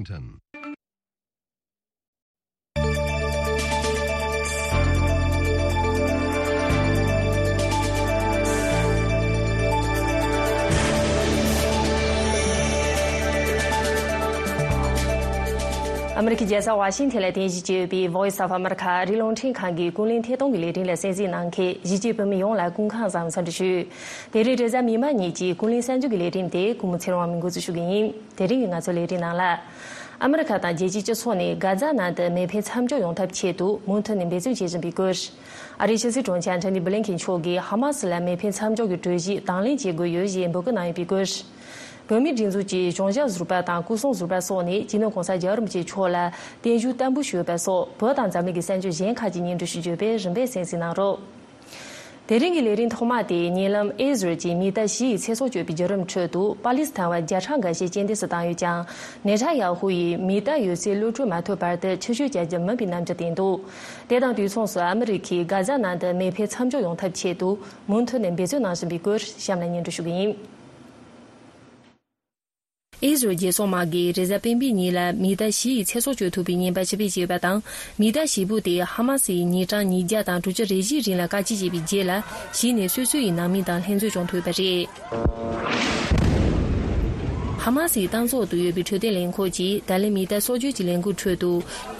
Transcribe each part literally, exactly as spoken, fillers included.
Washington. ཨ་མི་རི་ཀའི་རྒྱལ་ས་ཝ་ཤིང་ཐན་ལ་རྟེན་གཞི་བྱས་ཡོད་པའི་Voice of America ཨ་རིའི་རླུང་འཕྲིན་ཁང་གི་ཀུན་གླེང་ཐད་གཏོང་གི་ལས་རིམ་ལ་གསན་གཟིགས་གནང་མཁན་གཞིས་བྱེས་བོད་མི་ཡོངས་ལ་སྐུ་ཁམས་བཟང་འཚམས་འདྲི་ཞུ། དེ་རིང་རེས་གཟའ་མིག་དམར་ཉིན་གྱི་ཀུན་གླེང་གསར་འགྱུར་གྱི་ལས་རིམ་དེ་སྐུ་ངོ་ཚེ་རིང་དབང་མོས་འགོ་འཛུགས་ཞུ་གི་ཡིན། དེ་རིང་གི་ང་ཚོའི་ལས་རིམ་ནང་ལ། ཨ་མི་རི་ཁ་དང་རྒྱལ་སྤྱིའི་སྤྱི་ཚོགས་ནས་གྷ་ཛ་ནང་དུ་མེ་འཕེན་མཚམས་འཇོག་ཡོང་ཐབས་ཆེད་དུ་མུ་མཐུད་ནས་འབད་བརྩོན་བྱེད་བཞིན་པའི་སྐོར། ཨ་རིའི་ཕྱི་སྲིད་དྲུང་ཆེ་ཨན་ཐོ་ནི་བྷི་ལིན་ཁེན་མཆོག་གིས་ཧ་མ་སི་ལ་མེ་འཕེན་མཚམས་འཇོག་གི་གྲོས་གཞི་དང་ལེན་བྱེད་དགོས་ཡོད་ཞེས་འབོད་སྐུལ་གནང་ཡོད་པའི་སྐོར། བོད་མིའི་སྒྲིག་འཛུགས་ཀྱི་གཞུང་ཞབས་ཟུར་པ་དང་སྐུ་སྲུང་ཟུར་པ་སོགས་ནས་སྤྱི་ནོར་༸གོང་ས་༸རྒྱལ་བ་རིན་པོ་ཆེ་མཆོག་ལ་བརྟན་བཞུགས་བརྟན་པོ་ཞུས་པ་སོགས་བོད་དང་འཛམ་གླིང་གི་གསར་འགྱུར་གཞན་ཁག་ཅིག་སྙན་སྒྲོན་ཞུ་རྒྱུ་བས་རིམ་པས་གསན་གཟིགས་གནང་རོགས། དེ་རིང་གི་ལས་རིམ་ཐོག་མ་དེ་ཉེ་ལམ་ཨེ་ཟི་རལ་གྱིས་མི་གཏའ་བཞི་ཡི་ཚེ་སྲོག་གཅོད་པའི་བརྒྱུད་རིམ་ཁྲོད་དུ་པ་ལི་སི་ཐན་བ་བརྒྱ་ཕྲག་འགའ་ཤས་རྐྱེན་འདས་སུ་བཏང་ཡོད་ཀྱང་། ནེ་ཐན་ཡ་ཧུ་ཡིས་མི་གཏའ་ཡོད་ཚད་གློད་གྲོལ་མ་ཐུབ་བར་དུ་ཕྱིར་བཤོལ་བྱ་རྒྱུ་མིན་པའི་རྣམ་འགྱུར་བསྟན་འདུག་དེ་དང་དུས་མཚུངས་སུ་ཨ་མི་རི་ཁས་གྷ་ཛ་ནང་དུ་མེ་འཕེན་མཚམས་འཇོག་ཡོང་ཐབས་ཆེད་དུ་མུ་མཐུད་ནས་འབད་བརྩོན་གནང་བཞིན་པའི་སྐོར་གཤམ་ལ་སྙན་སྒྲོན་ཞུ་གི་ཡིན། ཨེ་ཟི་རལ་རྒྱལ་ཚོགས་དམག་གིས་རེས་གཟའ་སྤེན་པའི་ཉིན་ལ་མི་གཏའ་བཞི་ཡི་ཚེ་སྲོག་གཅོད་ཐུབ་པའི་ཉེན་པ་ཞི་བའི་བྱས་པ་དང་། མི་གཏའ་བཞི་པོ་དེ་ཧ་མ་སི་ཡི་ཉིན་གྲངས་ཉིས་བརྒྱ་དང་དྲུག་ཅུ་རེ་བཞིའི་རིང་ལ་བཀག་སྐྱིལ་བྱས་པའི་རྗེས་ལ་གཞི་ནས་སོ་སོ་ཡི་ནང་མི་དང་ལྷན་འཛོམས་བྱུང་ཐུབ་པ་རེད། ཧ་མ་སིའི་ཏང་ཚོགས་སུ་ཡོད་པའི་འཕྲོད་བསྟེན་ལས་ཁུངས་ཀྱིས་ད་ལན་མི་གཏའ་སྲོག་གཅོད་ཀྱི་ལས་འགུལ་ཁྲོད་དུ་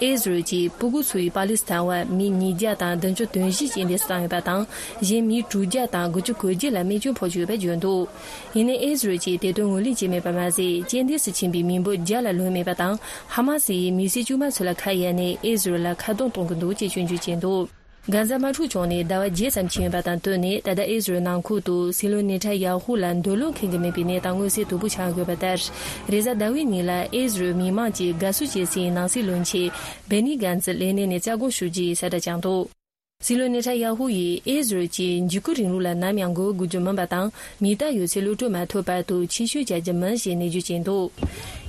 ཨེ་ཟི་རལ་གྱིས་སྤུ་གུ་ཚོའི་པ་ལི་སི་ཐན་བ་མི་ཉིས་བརྒྱ་དང་བདུན་ཅུ་དོན་བཞི་རྐྱེན་འདས་སུ་བཏང་ཡོད་པ་དང་། གཞན་མི་དྲུག་བརྒྱ་དང་དགུ་བཅུ་གོ་བརྒྱད་ལ་རྨས་སྐྱོན་ཕོག་ཡོད་པ་བརྗོད་འདུག་ཡིན་ནའི་ཨེ་ཟི་རལ་གྱིས་དེ་དོན་ངོས་ལེན་བྱས་མེད་པ་མ་ཟད། རྐྱེན་འདས་སུ་ཕྱིན་པའི་མི་འབོར་བརྒྱ་ལ་ལྷོད་མེད་པ་དང་། ཧ་མ་སི་ཡིས་མི་སེར་དཀྱུས་མ་ཚོ་ལ་ཁ་གཡར་ནས་ཨེ་ཟི་རལ་ལ་ཁ་རྡུང་གཏོང་གི་འདུག་ཅེས་སྐྱོན་བརྗོད་བྱས་འདུག་གྷ་ཛ་དམག་འཁྲུག་བྱུང་ནས་ཟླ་བ་བརྒྱད་ཙམ་ཕྱིན་ཡོད་པ་དང་བསྟུན་ནས། ད་ལྟ་ཨེ་ཟི་རལ་ནང་ཁུལ་དུ་སྲིད་བློན་ནེ་ཐན་ཡ་ཧུ་ལ་འདོད་བློ་འཁེལ་གྱི་མེད་པའི་གནས་སྟངས་མངོན་གསལ་དོད་པོ་ཆགས་ཡོད་པ་ལྟར། རེས་གཟའ་ཟླ་བའི་ཉིན་ལ་ཨེ་ཟི་རལ་མི་མང་གིས་དགའ་བསུ་བྱེད་སའི་ནང་སྲིད་བློན་ཆེན་བེ་ནི་གཱན་ཛི་ལས་གནས་ནས་བཙན་དབང་ཞུ་རྒྱུའི་གསལ་བསྒྲགས་བསྐྱངས་འདུག་སྲིད་བློན་ནེ་ཐན་ཡ་ཧུ་ཡིས་ཨེ་ཟི་རལ་གྱིས་འཇིགས་སྐུལ་རིང་ལུགས་ལ་ནམ་ཡང་མགོ་སྒུར་རྒྱུ་མིན་པ་དང་། མི་གཏའ་ཡོད་ཚད་གློད་གྲོལ་མ་ཐུབ་བར་དུ་ཕྱིར་བཤོལ་བྱ་རྒྱུ་མིན་ཞེས་ནན་བརྗོད་བྱས་འདུག་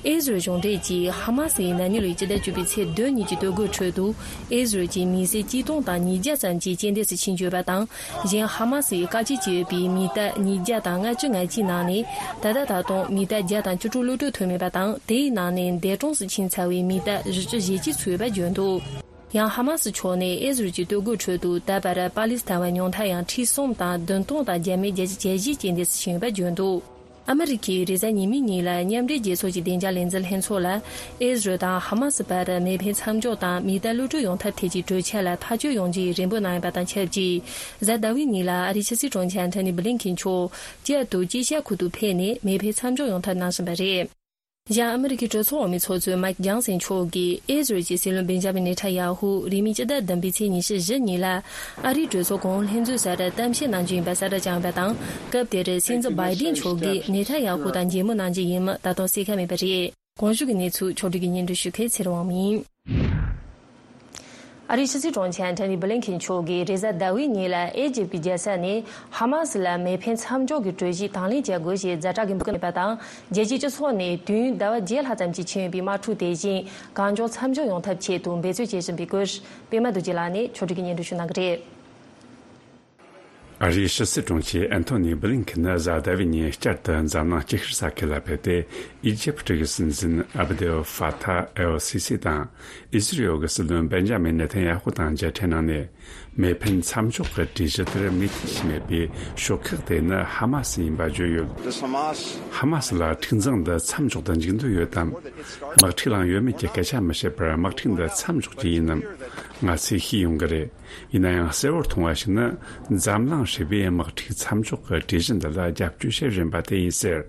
ཨེ་ཟི་རལ་གཞུང་འབྲེལ་གྱིས་ཧ་མ་སི་ཡིས་ན་ནིང་ལོའི་སྤྱི་ཟླ་བཅུ་པའི་ཚེས་བདུན་ཉིན་གྱི་ལྟོ་གོས་ཁྲོད་དུ་ཨེ་ཟི་རལ་གྱི་མི་སེར་གཅིག་སྟོང་དང་ཉིས་བརྒྱ་ཙམ་གྱིས་རྐྱེན་འདས་སུ་ཕྱིན་ཡོད་པ་དང་། གཞན་ཧ་མ་སི་ཡིས་བཀག་སྐྱིལ་བྱས་ཡོད་པའི་མི་གཏའ་ཉིས་བརྒྱ་དང་ལྔ་བཅུ་ང་གཅིག་ནང་ནས། ད་ལྟ་ད་དུང་མི་གཏའ་བརྒྱ་དང་བཅུ་དྲུག་གློད་གྲོལ་ཐུབ་མེད་པ་དང་། དེའི་ནང་ནས་འདས་གྲོངས་སུ་ཕྱིན་ཚར་བའི་མི་གཏའ་བཞི་བཅུ་ཞེ་གཅིག་ཚུད་ཡོད་པ་བརྗོད་འདུག་ཡང་ཧ་མ་སི་ཕྱོགས་ནས་ཨེ་ཟི་རལ་གྱི་ལྟོ་གོས་ཁྲོད་དུ་ད་བར་པ་ལི་སི་ཐན་བ་ཉུང་མཐའ་ཡང་ཁྲི་གསུམ་དང་བདུན་སྟོང་དང་བརྒྱ་མེད་བརྒྱད་ཅུ་གྱ་བཞི་རྐྱེན་འདས་སུ་ཕྱིན་ཡོད་པ་བརྗོད་འདུག་ཨ་མི་རི་ཁས་རེས་གཟའ་ཉི་མའི་ཉིན་ལ་མཉམ་འབྲེལ་རྒྱལ་ཚོགས་ཀྱི་བདེ་འཇགས་ལས་འཛིན་ལྷན་ཚོགས་ལ། ཨེ་ཟི་རལ་དང་ཧ་མ་སི་བར་མེ་འཕེན་མཚམས་འཇོག་དང་མི་གཏའ་གློད་གྲོལ་ཡོང་ཐབས་ཐད་ཀྱི་གྲོས་འཆར་ལ་ཐག་གཅོད་ཡོང་རྒྱུའི་རེ་འབོད་གནང་ཡོད་པ་དང་ཆབས་ཅིག་གཟའ་ཟླ་བའི་ཉིན་ལ་ཨ་རིའི་ཕྱི་སྲིད་དྲུང་ཆེ་ཨན་ཐོ་ནི་བྷི་ལིན་ཁིན་མཆོག་བསྐྱར་དུ་དཀྱིལ་ཤར་ཁུལ་དུ་ཕེབས་ནས་མེ་འཕེན་མཚམས་འཇོག་ཡོང་ཐབས་གནང་བཞིན་པ་རེད། གཞན་ཨ་མི་རི་ཀའི་གྲོས་ཚོགས་འོག་མའི་ཚོགས་གཙོ་མའིག་ཇོན་སན་མཆོག་གིས་ཨེ་ཟི་རལ་གྱི་སྲིད་བློན་བེན་ཇ་མིན་ནེ་ཐན་ཡ་ཧུ་རིང་མིན་སྤྱི་ཟླ་བདུན་པའི་ཚེས་ཉི་ཤུ་བཞི་ཉིན་ལ་ཨ་རིའི་གྲོས་ཚོགས་གོང་འོག་ལྷན་འཛོམས་སར་གཏམ་བཤད་གནང་རྒྱུ་ཡིན་པ་གསལ་བསྒྲགས་བྱུང་ཡོད་པ་དང་། སྐབས་དེར་སྲིད་འཛིན་བྷའི་ཌེན་མཆོག་གིས་ནེ་ཐན་ཡ་ཧུ་དང་མཇལ་མོལ་གནང་རྒྱུ་ཡིན་མིན་ད་དུང་གསལ་ཁ་མེད་པ་རེད། གོང་ཞུས་ཀྱི་གནས་ཚུལ་ཕྱོགས་བསྒྲིགས་ཀྱིས་སྙན་སྒྲོན་ཞུ་མཁན་ཚེ་རིང་དབང་མོ་ཡིན། ཨ་རིའི་ཕྱི་སྲིད་དྲུང་ཆེ་ཨན་ཐོ་ནི་བྷི་ལིན་ཁིན་མཆོག་གིས་རེས་གཟའ་ཟླ་བའི་ཉིན་ལ་ཨེ་ཇིབ་ཀྱི་རྒྱལ་ས་ནས་ཧ་མ་སི་ལ་མེ་འཕེན་མཚམས་འཇོག་གི་གྲོས་གཞི་དང་ལེན་བྱ་དགོས་ཞེས་ཛ་དྲག་གི་འབོད་སྐུལ་གནང་ཡོད་པ་དང་། རྒྱལ་སྤྱིའི་སྤྱི་ཚོགས་ནས་དུས་ཡུན་ཟླ་བ་བརྒྱད་ལྷག་ཙམ་གྱིས་ཕྱིན་ཡོད་པའི་དམག་འཁྲུག་དེ་བཞིན་གང་མགྱོགས་མཚམས་འཇོག་ཡོང་ཐབས་ཆེད་དུ་འབད་རྩོལ་བྱེད་བཞིན་པའི་སྐོར། པད་མ་རྡོ་རྗེ་ལགས་ནས་ཕྱོགས་བསྒྲིགས་ཀྱིས་སྙན་སྒྲོན་ཞུ་གནང་གི་རེད། ཨ་རིའི་ཕྱི་སྲིད་དྲུང་ཆེ་ཨན་ཐོ་ནི་བྷི་ལིན་ཁིན་ནི་གཟའ་ཟླ་བའི་ཉིན་བསྐྱར་དུ་འཛམ་གླིང་སྐྱིད་ཤོད་ས་ཁུལ་ལ་ཕེབས་ཏེ། ཨི་ཇིབ་ཀྱི་སྲིད་འཛིན་ཨབ་དེལ་ཧྥ་ཐ་ཨེལ་སི་སི་དང་། ཨི་ཟི་རི་ཨེལ་གྱི་སྲིད་བློན་བེན་ཇ་མིན་ནེ་ཐན་ཡ་ཧུ་དང་མཇལ་འཕྲད་གནང་ནས། མེ་འཕེན་མཚམས་འཇོག་གི་གྲོས་གཞི་དེར་མོས་མཐུན་བྱས་མེད་པའི་ཤོག་ཁག་དེ་ནི་ཧ་མ་སི་ཡིན་པ་བརྗོད་ཡོད། ཧ་མ་སི་ལ་འཁྲུག་འཛིང་འདི་མཚམས་འཇོག་ཏུ་འཇུག་འདོད་ཡོད་དམ། དམག་འཁྲུག་ལངས་ཡོད་མེད་ཀྱི་སྐད་ཆ་མི་བཤད་པར། དམག་འཁྲུག་འདི་མཚམས་འཇོག་རྒྱུ་ཡིན་ནམ། ང་ཚོས་ཤེས་ཡོང་གི་རེད། ཡིན་ན་ཡང་གསལ་བོར་མཐོང་བ་ཞིག་ནི། འཛམ་གླིང་ཧྲིལ་པོས་དམག་འཁྲུག་མཚམས་འཇོག་གི་གྲོས་གཞི་འདི་ལ་རྒྱབ་སྐྱོར་བྱེད་བཞིན་པ་དེ་ཡིན་ཟེར།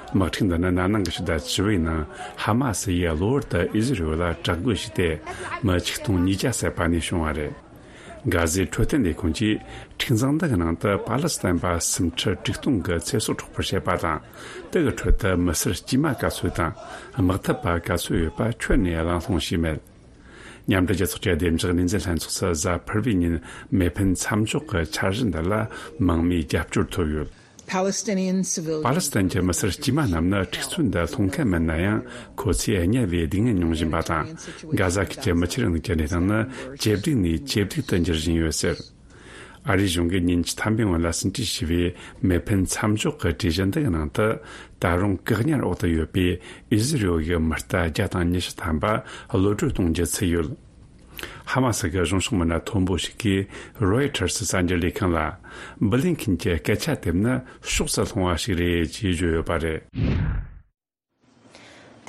དམག་འཁྲུག་འདི་ནི་ན་ནིང་གི་ཕྱི་ཟླ་བཅུ་བའི་ནང་ཧ་མ་སི་ཡིས་གློ་བུར་དུ་ཨི་ཟི་རི་ལ་དྲག་རྒོལ་བྱས་ཏེ། མི་ཆིག་སྟོང་ཉིས་བརྒྱ་བསད་པ་ནས་བྱུང་བ་རེད། གྷ་ཟའི་འཕྲོད་བསྟེན་ལས་ཁུངས་ཀྱིས་འཁྲུག་འཛིང་འདི་གི་ནང་དུ་པ་ལི་སི་ཐན་པ་སུམ་ཁྲི་དྲུག་སྟོང་གི་ཚེ་སྲོག་འཕྲོག་པར་བྱས་པ་དང་། དེ་གི་ཁྲོད་དུ་མི་སེར་དཀྱུས་མ་ག་ཚོད་དང་། དམག་འཐབ་པ་ག་ཚོད་ཡོད་པ་ཁྱོན་ནས་གླེང་སློང་བྱས་མེད། མཉམ་འབྲེལ་རྒྱལ་ཚོགས་ཀྱི་བདེ་འཇགས་ལས་འཛིན་ལྷན་ཚོགས་སུ་གཟའ་ཕུར་བུའི་ཉིན་མེ་འཕེན་མཚམས་འཇོག་གི་འཆར་གཞི་འདི་ལ་མང་མོས་རྒྱབ་སྐྱོར་ཐོབ་ཡོད། Palestinian civilians. པ་ལི་སི་ཐན་གྱི་མི་སེར་དཀྱུས་མ་རྣམས་ནི་འཁྲུག་རྩོད་འདི་སློང་མཁན་མིན་ན་ཡང་། ཁོ་ཚོས་དམྱལ་བའི་སྡུག་བསྔལ་མྱོང་བཞིན་པ་དང་། གྷ་ཟ་ཁུལ་གྱི་མི་ཆོས་རིང་ལུགས་ཀྱི་གནས་སྟངས་ནི་ཇེ་སྡུག་ནས་ཇེ་སྡུག་ཏུ་འགྱུར་བཞིན་ཡོད་ཟེར། ཨ་རིའི་གཞུང་གིས་ཉིན་བཅུ་ཐམ་པའི་སྔོན་ལ་ཟིན་བྲིས་ཞུས་པའི་མི་ཕན་མཚམས་འཇོག་གི་གྲོས་གཞི་འདི་གི་ནང་དུ། ད་རུང་བཀག་ཉར་འོག་ཏུ་ཡོད་པའི་ཨི་ཟི་རེལ་གྱི་མི་རྟ་བརྒྱ་དང་ཉི་ཤུ་ཐམ་པ་གློད་གྲོལ་གཏོང་རྒྱུ་ཚུད་ཡོད། ཧ་མ་སི་གི་གཞུང་ཕྱོགས་མི་སྣ་མཐོན་པོ་ཞིག་གིས་རོའི་ཊར་སི་གསར་འགྱུར་ལས་ཁང་ལ། སྦི་ལིན་ཁིན་གྱི་སྐད་ཆ་དེ་ནི་ཕྱོགས་སུ་ལྷུང་བ་ཞིག་རེད་ཅེས་བརྗོད་ཡོད་པ་རེད།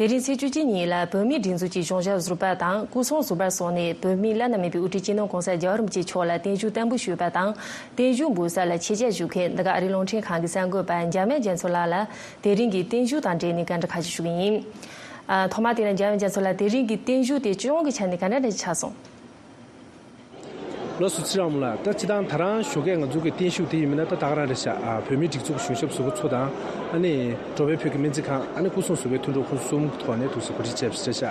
དེ་རིང་ཚེས་བཅུ་གཅིག་ཉིན་ལ་བོད་མིའི་སྒྲིག་འཛུགས་ཀྱི་གཞུང་ཞབས་ཟུར་པ་དང་སྐུ་སྲུང་ཟུར་པ་སོགས་ནས་བོད་མིའི་བླ་ན་མེད་པའི་དབུ་ཁྲིད་སྤྱི་ནོར་༸གོང་ས་༸རྒྱལ་བ་རིན་པོ་ཆེ་མཆོག་ལ་བརྟན་བཞུགས་བརྟན་པོ་ཞུས་པ་དང་། བརྟན་བཞུགས་འབུལ་ས་ལ་ཆེད་བཅར་ཞུ་མཁན་འདི་ག་ཨ་རིའི་རླུང་འཕྲིན་ཁང་གི་གསར་འགོད་པ་འཇམ་དབྱངས་རྒྱ་མཚོ་ལགས་ལ་དེ་རིང་གི་བརྟན་བཞུགས་དང་འབྲེལ་ནས་བཀའ་འདྲི་ཁ་ཤས་ཞུ་གི་ཡིན། ཨ། ཐོག་མ་དེ་ལ་འཇམ་དབྱངས་རྒྱ་མཚོ་ལགས། དེ་རིང་གི་བརྟན་བཞུགས་དེ་སྤྱི་ཡོངས་ཀྱི་ཆ་ནས་ག་འདྲ་འདྲ་ཆགས་སོང་། ལགས་སོ། ཚེ་རིང་ལགས། ད་སྤྱིར་བཏང་ད་རང་ཞོགས་ཀས་ང་ཚོ་གི་བརྟན་བཞུགས་དེ་ཡིན་མིན་ན་ད་ད་ག་རང་རེད་ཤག་ཨ། བོད་མིའི་སྒྲིག་འཛུགས་གཞུང་ཞབས་ཟུར་པ་ཚོ་དང་། ཨ་ནི་འགྲོ་བའི་བོད་ཀྱི་སྨན་རྩིས་ཁང་། ཨ་ནི་སྐུ་སྲུང་ཟུར་པའི་མཐུན་གྲོགས་ཁོང་གསུམ་གྱི་ཐོག་ནས་འདུག་སེ་གོ་སྒྲིག་བྱས་པ་རེད་ཤག་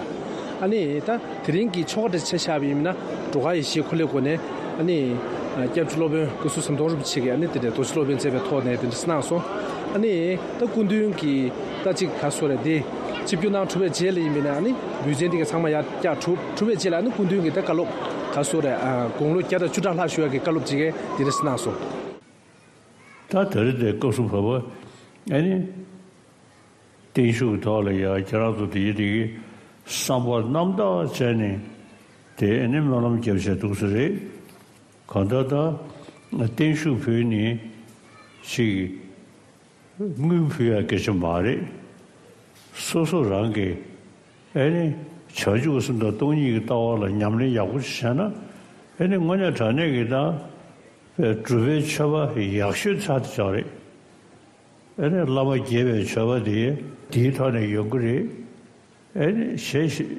ཨ་ནི་ད་དེ་རིང་གི་ཆོ་ག་འདྲ་ཆ་བཞག་པ་ཡིན་མིན་ན། འགྲོ་ཁ་ཡེ་ཤེས་འཁོར་ལོའི་སྒོ་ནས། ཨ་ནི་སྐྱབས་རྗེ་སློབ་དཔོན་བཀའ་ཟུར་ཟམ་གདོང་རིན་པོ་ཆེ་གིས། ཨ་ནི་དེ་འདྲའི་རྡོ་རྗེ་སློབ་དཔོན་མཛད་པའི་ཐོག་ནས་དེ་འདྲ་གནང་སོང་། ཨ་ནི་ད་སྐུ་མདུན་གྱིས་ད་ཅིག་ག་སོ་རེད། དེ་ཆིབས་བསྒྱུར་གནང་གྲུབ་པའི་རྗེས་ལ་ཡིན་མིན་ན། ཨ་ནི་འབུལ་ཚན་དེ་ག་ཚང་མ་ཡར་བཀྱག་གྲུབ་གྲུབ་པའི་རྗེས་ལ། ཨ་ནི་སྐུ་མདུན་གྱིས་ད་བཀའ་སློབ་ག་སོ་རེད། ཨ། དགུང་ལོ་བརྒྱ་དང་བཅུ་ཕྲག་ལྷག་བཞུགས་ཡག་གི་བཀའ་སློབ་ཅིག་གིས་དེ་འདྲ་གནང་སོང་། ད་དེ་རིང་དེ་སྐབས་སུ་བབ་པ། ཨ་ནི་བརྟན་བཞུགས་ཐོག་ལ་ཡ་ཁྱེད་རང་ཚོ་དེ་ཡི་དེ་གི་བསམ་པ་རྣམ་དག་བྱས་ནས་དེ། ཨ་ནི་སྨོན་ལམ་རྒྱབ་བྱས་འདུག་སེ་རེད། གང་ལྟར་ད་བརྟན་བཞུགས་ཕུལ་ནི་ཞིག་དངུལ་ཕུལ་ཡ་སྐད་ཆ་མ་རེད། སོ་སོ་རང་གི། ཨ་ནི་བྱང་ཆུབ་སེམས་དང་སྟོང་ཉིད་ཀྱི་ལྟ་བ་ལ་ཉམས་ལེན་ཡག་པོ་ཞིག་བྱས་ན། ཨ་ནི་དངོས་གནས་དྲང་གནས་ཀྱི་ད་སྒྲུབ་པའི་མཆོད་པ་ཡག་ཤོས་ཚར་དེ་ཆགས་རེད། ཨ་ནི་བླ་མ་དགྱེས་པའི་མཆོད་པ་དེ་དེའི་ཐོག་ནས་ཡོང་གི་རེད། ཨ་ནི་གཞན་ཞིག་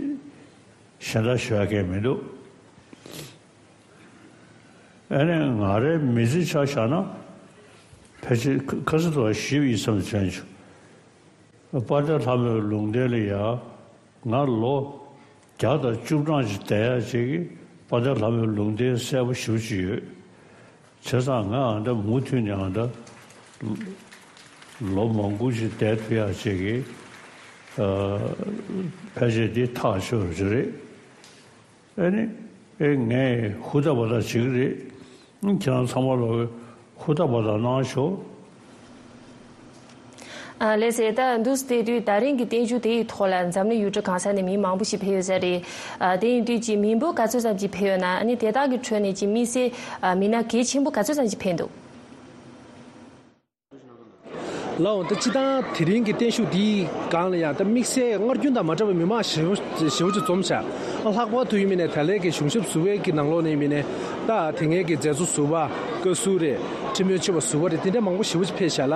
གཞན་དག་ཞུ་ཡ་གང་ཡང་མི་འདུག་ཨ་ནི་ང་རའི་མི་ཚེ་ཆ་བཞག་ན། ཕལ་ཆེར་ཁ་ཁ་སང་དུ་ཞེ་པོ་ཡིད་ཚིམ་བྱུང་། དཔལ་ལྡན་ལྷ་མོའི་ལུང་བསྟན་ལ་ཡ། ང་ལོ་བརྒྱ་དང་བཅུ་གྲངས་ཅིག་བསྡད་ཡ་ཅིག་གིས་དཔལ་ལྡན་ལྷ་མོའི་ལུང་བསྟན་གསལ་པོ་ཞེ་པོ་ཅིག་ཡོད། བྱས་ཙང་ང་ཨ་ད་མུ་མཐུད་ནས་ཨ་ད་ལོ་མང་པོ་ཅིག་བསྡད་ཐུབ་ཡ་ཅིག་གིས། ཨ། ཕལ་ཆེར་འདི་ཐག་ཆོད་ཡོད་རེད། ཨ་ནི། ཨེ། ངས་ཧུར་ཐག་པ་ཐག་བྱེད་ཀྱི་རེད། ཁྱེད་རང་ཚང་མ་ལ་ཧུར་ཐག་པ་ཐག་གནང་ཤོག་ཨ། ལགས་སེ། ད་འདུག་སེ་བལྟས་དུས་ད་རིང་གི་བརྟན་བཞུགས་དེའི་ཐོག་ལ་འཛམ་གླིང་ཡུལ་གྲུ་གང་ས་ནས་མི་མང་པོ་ཞིག་ཕེབས་ཡོད་ས་རེད། ཨ། དེ་ཡིན་དུས་ཀྱི་མི་འབོར་ག་ཚོད་ཙམ་ཅིག་ཕེབས་ཡོད་ན། ཨ་ནི་དེ་དག་གི་ཁྲོད་ནས་ཀྱི་དམིགས་བསལ། ཨ། མི་སྣ་གལ་ཆེན་པོ་ག་ཚོད་ཙམ་ཅིག་ཕེབས་འདུག་ལགས་འོང་། ད་སྤྱིར་བཏང་དེ་རིང་གི་བརྟན་བཞུགས་འདིའི་སྒང་ལ་ཡང་ད་དམིགས་བསལ་སྔར་རྒྱུན་དང་མ་འདྲ་བའི་མི་མང་ཞེ་པོ་ཞེ་པོ་ཅིག་འཛོམས་ཤག་ལྷག་པར་དུ་ཡིན་མིན་ནས་ད་ལན་གྱི་གཞུང་ཞབས་ཟུར་པའི་གི་ནང་ལོགས་ནས་ཡིན་མིན་ནས། ད་དེ་སྔའི་གི་མཛད་གཙོ་ཟུར་པ། བཀའ་ཟུར་རེད། ཁྲིམས་དཔོན་ཆེན་པོ་ཟུར་པ་རེད། དེ་འདྲ་མང་པོ་ཞེ་པོ་ཅིག་ཕེབས་ཤག་ལ།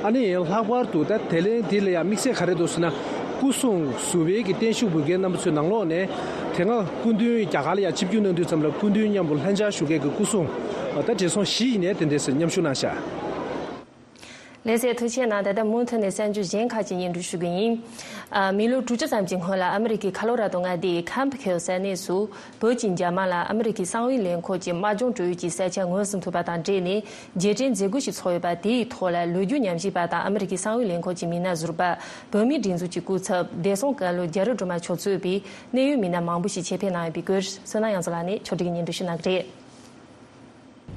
ཨ་ནི་ལྷག་པར་དུ་ད་དེ་ལན་འདི་ལ་ཡང་དམིགས་བསལ་ག་རེ་འདུག་ཟེར་ན། སྐུ་སྲུང་ཟུར་པའི་གི་བརྟན་བཞུགས་འབུལ་མཁན་རྣམ་པ་ཚོའི་ནང་ལོགས་ནས། དེ་སྔ་སྐུ་མདུན་རྒྱ་གར་ལ་ཡང་ཆིབས་བསྒྱུར་གནང་དུས་ཙམ་ལ་སྐུ་མདུན་མཉམ་པོ་ལྷན་བཅར་ཞུ་མཁན་གྱི་སྐུ་སྲུང་། ད་བགྲེས་སོང་བཞི་ཡིན་ནའི་དེ་འདྲས་སེ་མཉམ་ཞུགས་གནང་ཤག་ལགས་སེ། ཐུགས་རྗེ་གནང་། ད་ལྟ་མུ་མཐུད་ནས་གསར་འགྱུར་གཞན་ཁག་ཅིག་སྙན་སྒྲོན་ཞུ་གི་ཡིན། ཨ། མི་ལོ་དྲུག་ཅུ་ཙམ་གྱི་སྔོན་ལ་ཨ་མི་རི་ཀའི་ཁ་ལོ་ར་དོ་མངའ་སྡེའི་ཁམ་ཕིལ་ས་གནས་སུ། བོད་ཀྱི་འཇབ་དམག་ལ་ཨ་མི་རི་ཀའི་གསང་བའི་ལས་ཁུངས་ཀྱི་དམག་སྦྱོང་སྤྲོད་ཡུལ་གྱི་ས་ཆ་ངོས་ཟིན་ཐུབ་པ་དང་འབྲེལ་ནས་རྗེས་དྲན་མཛད་སྒོ་ཞིག་ཚོགས་ཡོད་པ། དེའི་ཐོག་ལ་ལོ་རྒྱུས་ཉམས་ཞིབ་པ་དང་ཨ་མི་རི་ཀའི་གསང་བའི་ལས་ཁུངས་ཀྱི་མི་སྣ་ཟུར་པ། བོད་མིའི་སྒྲིག་འཛུགས་ཀྱི་སྐུ་ཚབ་བདེ་སྲུང་བཀའ་བློན་རྒྱ་རི་སྒྲོལ་མ་མཆོག་གཙོས་པའི་གནད་ཡོད་མི་སྣ་མང་པོ་ཞིག་ཆེད་ཕེབས་གནང་ཡོད་པའི་སྐོར། བསོད་ནམས་དབྱངས་མཚོ་ལགས་ནས་ཕྱོགས་སྒྲིག་གིས་སྙན་སྒྲོན་ཞུ་གནང་གི་རེད།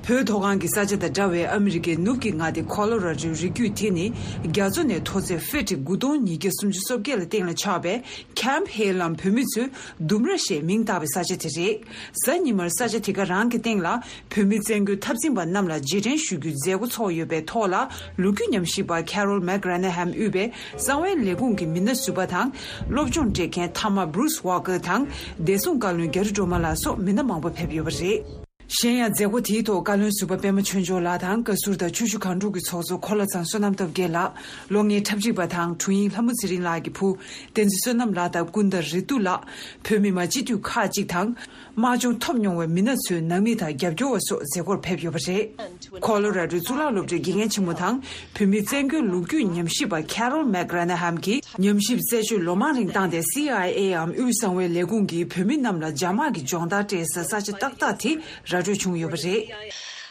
བོད་མཐོ་སྒང་གི་ས་ཆ་དང་འདྲ་བའི་ཨ་མི་རི་ཀའི་ནུབ་ཀྱི་མངའ་སྡེ་ཁོ་ལོ་ར་ཌོའི་རི་རྒྱུད་དེ་ནི། རྒྱ་མཚོ་ནས་མཐོ་ཚད་ཧྥེ་ཊི་དགུ་སྟོང་ཉིས་བརྒྱ་སུམ་ཅུ་སོ་བརྒྱད་ལ་སྟེང་ལ་ཆགས་པའི་ཁེམ་ཧེལ་ལམ་བོད་མི་ཚོས་ལྡུམ་ར་ཞེས་མིང་བཏགས་པའི་ས་ཆ་དེ་རེད། གཟའ་ཉི་མར་ས་ཆ་དེ་ག་རང་གི་སྟེང་ལ་བོད་མི་བཙན་རྒོལ་འཐབ་འཛིང་པ་རྣམས་ལ་རྗེས་དྲན་ཞུ་རྒྱུའི་མཛད་སྒོ་ཚོགས་ཡོད་པའི་ཐོག་ལ། ལོ་རྒྱུས་ཉམས་ཞིབ་པ་ཁེ་རོལ་མེག་ར་ན་ཧམ་དབུས་པའི་གསང་བའི་ལས་ཁུངས་ཀྱི་མི་སྣ་ཟུར་པ་དང་། སློབ་སྦྱོང་སྤྲད་མཁན་མཐའ་མ་བྷྲུ་སི་ཝོ་ཀེར་དང་། བདེ་སྲུང་བཀའ་བློན་རྒྱ་རི་སྒྲོལ་མ་ལགས་སོགས་མི་སྣ་མང་པོ་ཕེབས་ཡོད་པ་རེད། གཞན་ཡང་མཛད་སྒོ་དེའི་ཐོག་བཀའ་བློན་ཟུར་པ་པད་མ་ཆོས་འབྱོར་ལགས་དང་། བཀའ་ཟུར་དང་ཆུ་བཞི་སྒང་དྲུག་གི་ཚོགས་གཙོ་འཁོར་ལོ་ཚང་བསོད་ནམས་སྟོབས་རྒྱལ་ལགས། ལོ་ལྔའི་འཁྲབ་ཁྲིད་པ་དང་དྲུང་ཡིག་ལྷ་མོ་ཚེ་རིང་ལགས་ཀྱི་བུ་བསྟན་འཛིན་བསོད་ནམས་ལགས་དང་། ཀུན་དགའ་རེ་ཏུ་ལགས། བོད་མི་མང་སྤྱི་འཐུས་ཁག་ཅིག་དང་། དམག་སྦྱོང་ཐོབ་མྱོང་བའི་མི་སྣ་ཚོའི་ནང་མི་དང་རྒྱབ་སྐྱོར་བ་སོགས་མཛད་སྒོར་ཕེབས་ཡོད་པ་རེད། ཁོ་ལོ་ར་ཌོའི་གཙུག་ལག་སློབ་གྲྭའི་དགེ་རྒན་ཆེན་མོ་དང་། བོད་མིའི་བཙན་རྒོལ་ལོ་རྒྱུས་ཉམས་ཞིབ་པ་ཁེ་རོལ་མེག་ར་ན་ཧམ་གྱིས་ཉམས་ཞིབ་རྩད་གཅོད་ལོ་མང་རིང་བཏང་སྟེ། སི་ཨའི་ཨེ་འམ་དབུས་གསང་བའི་ལས་ཁུངས་ཀྱིས་བོད་མི་རྣམས་ལ་འཇབ་དམག་གི་སྦྱོང་བརྡར་སྤྲད་སའི་ས་ཆ་ཏག་ཏག་དེ་ར་སྤྲོད་བྱུང་ཡོད་པ་རེད།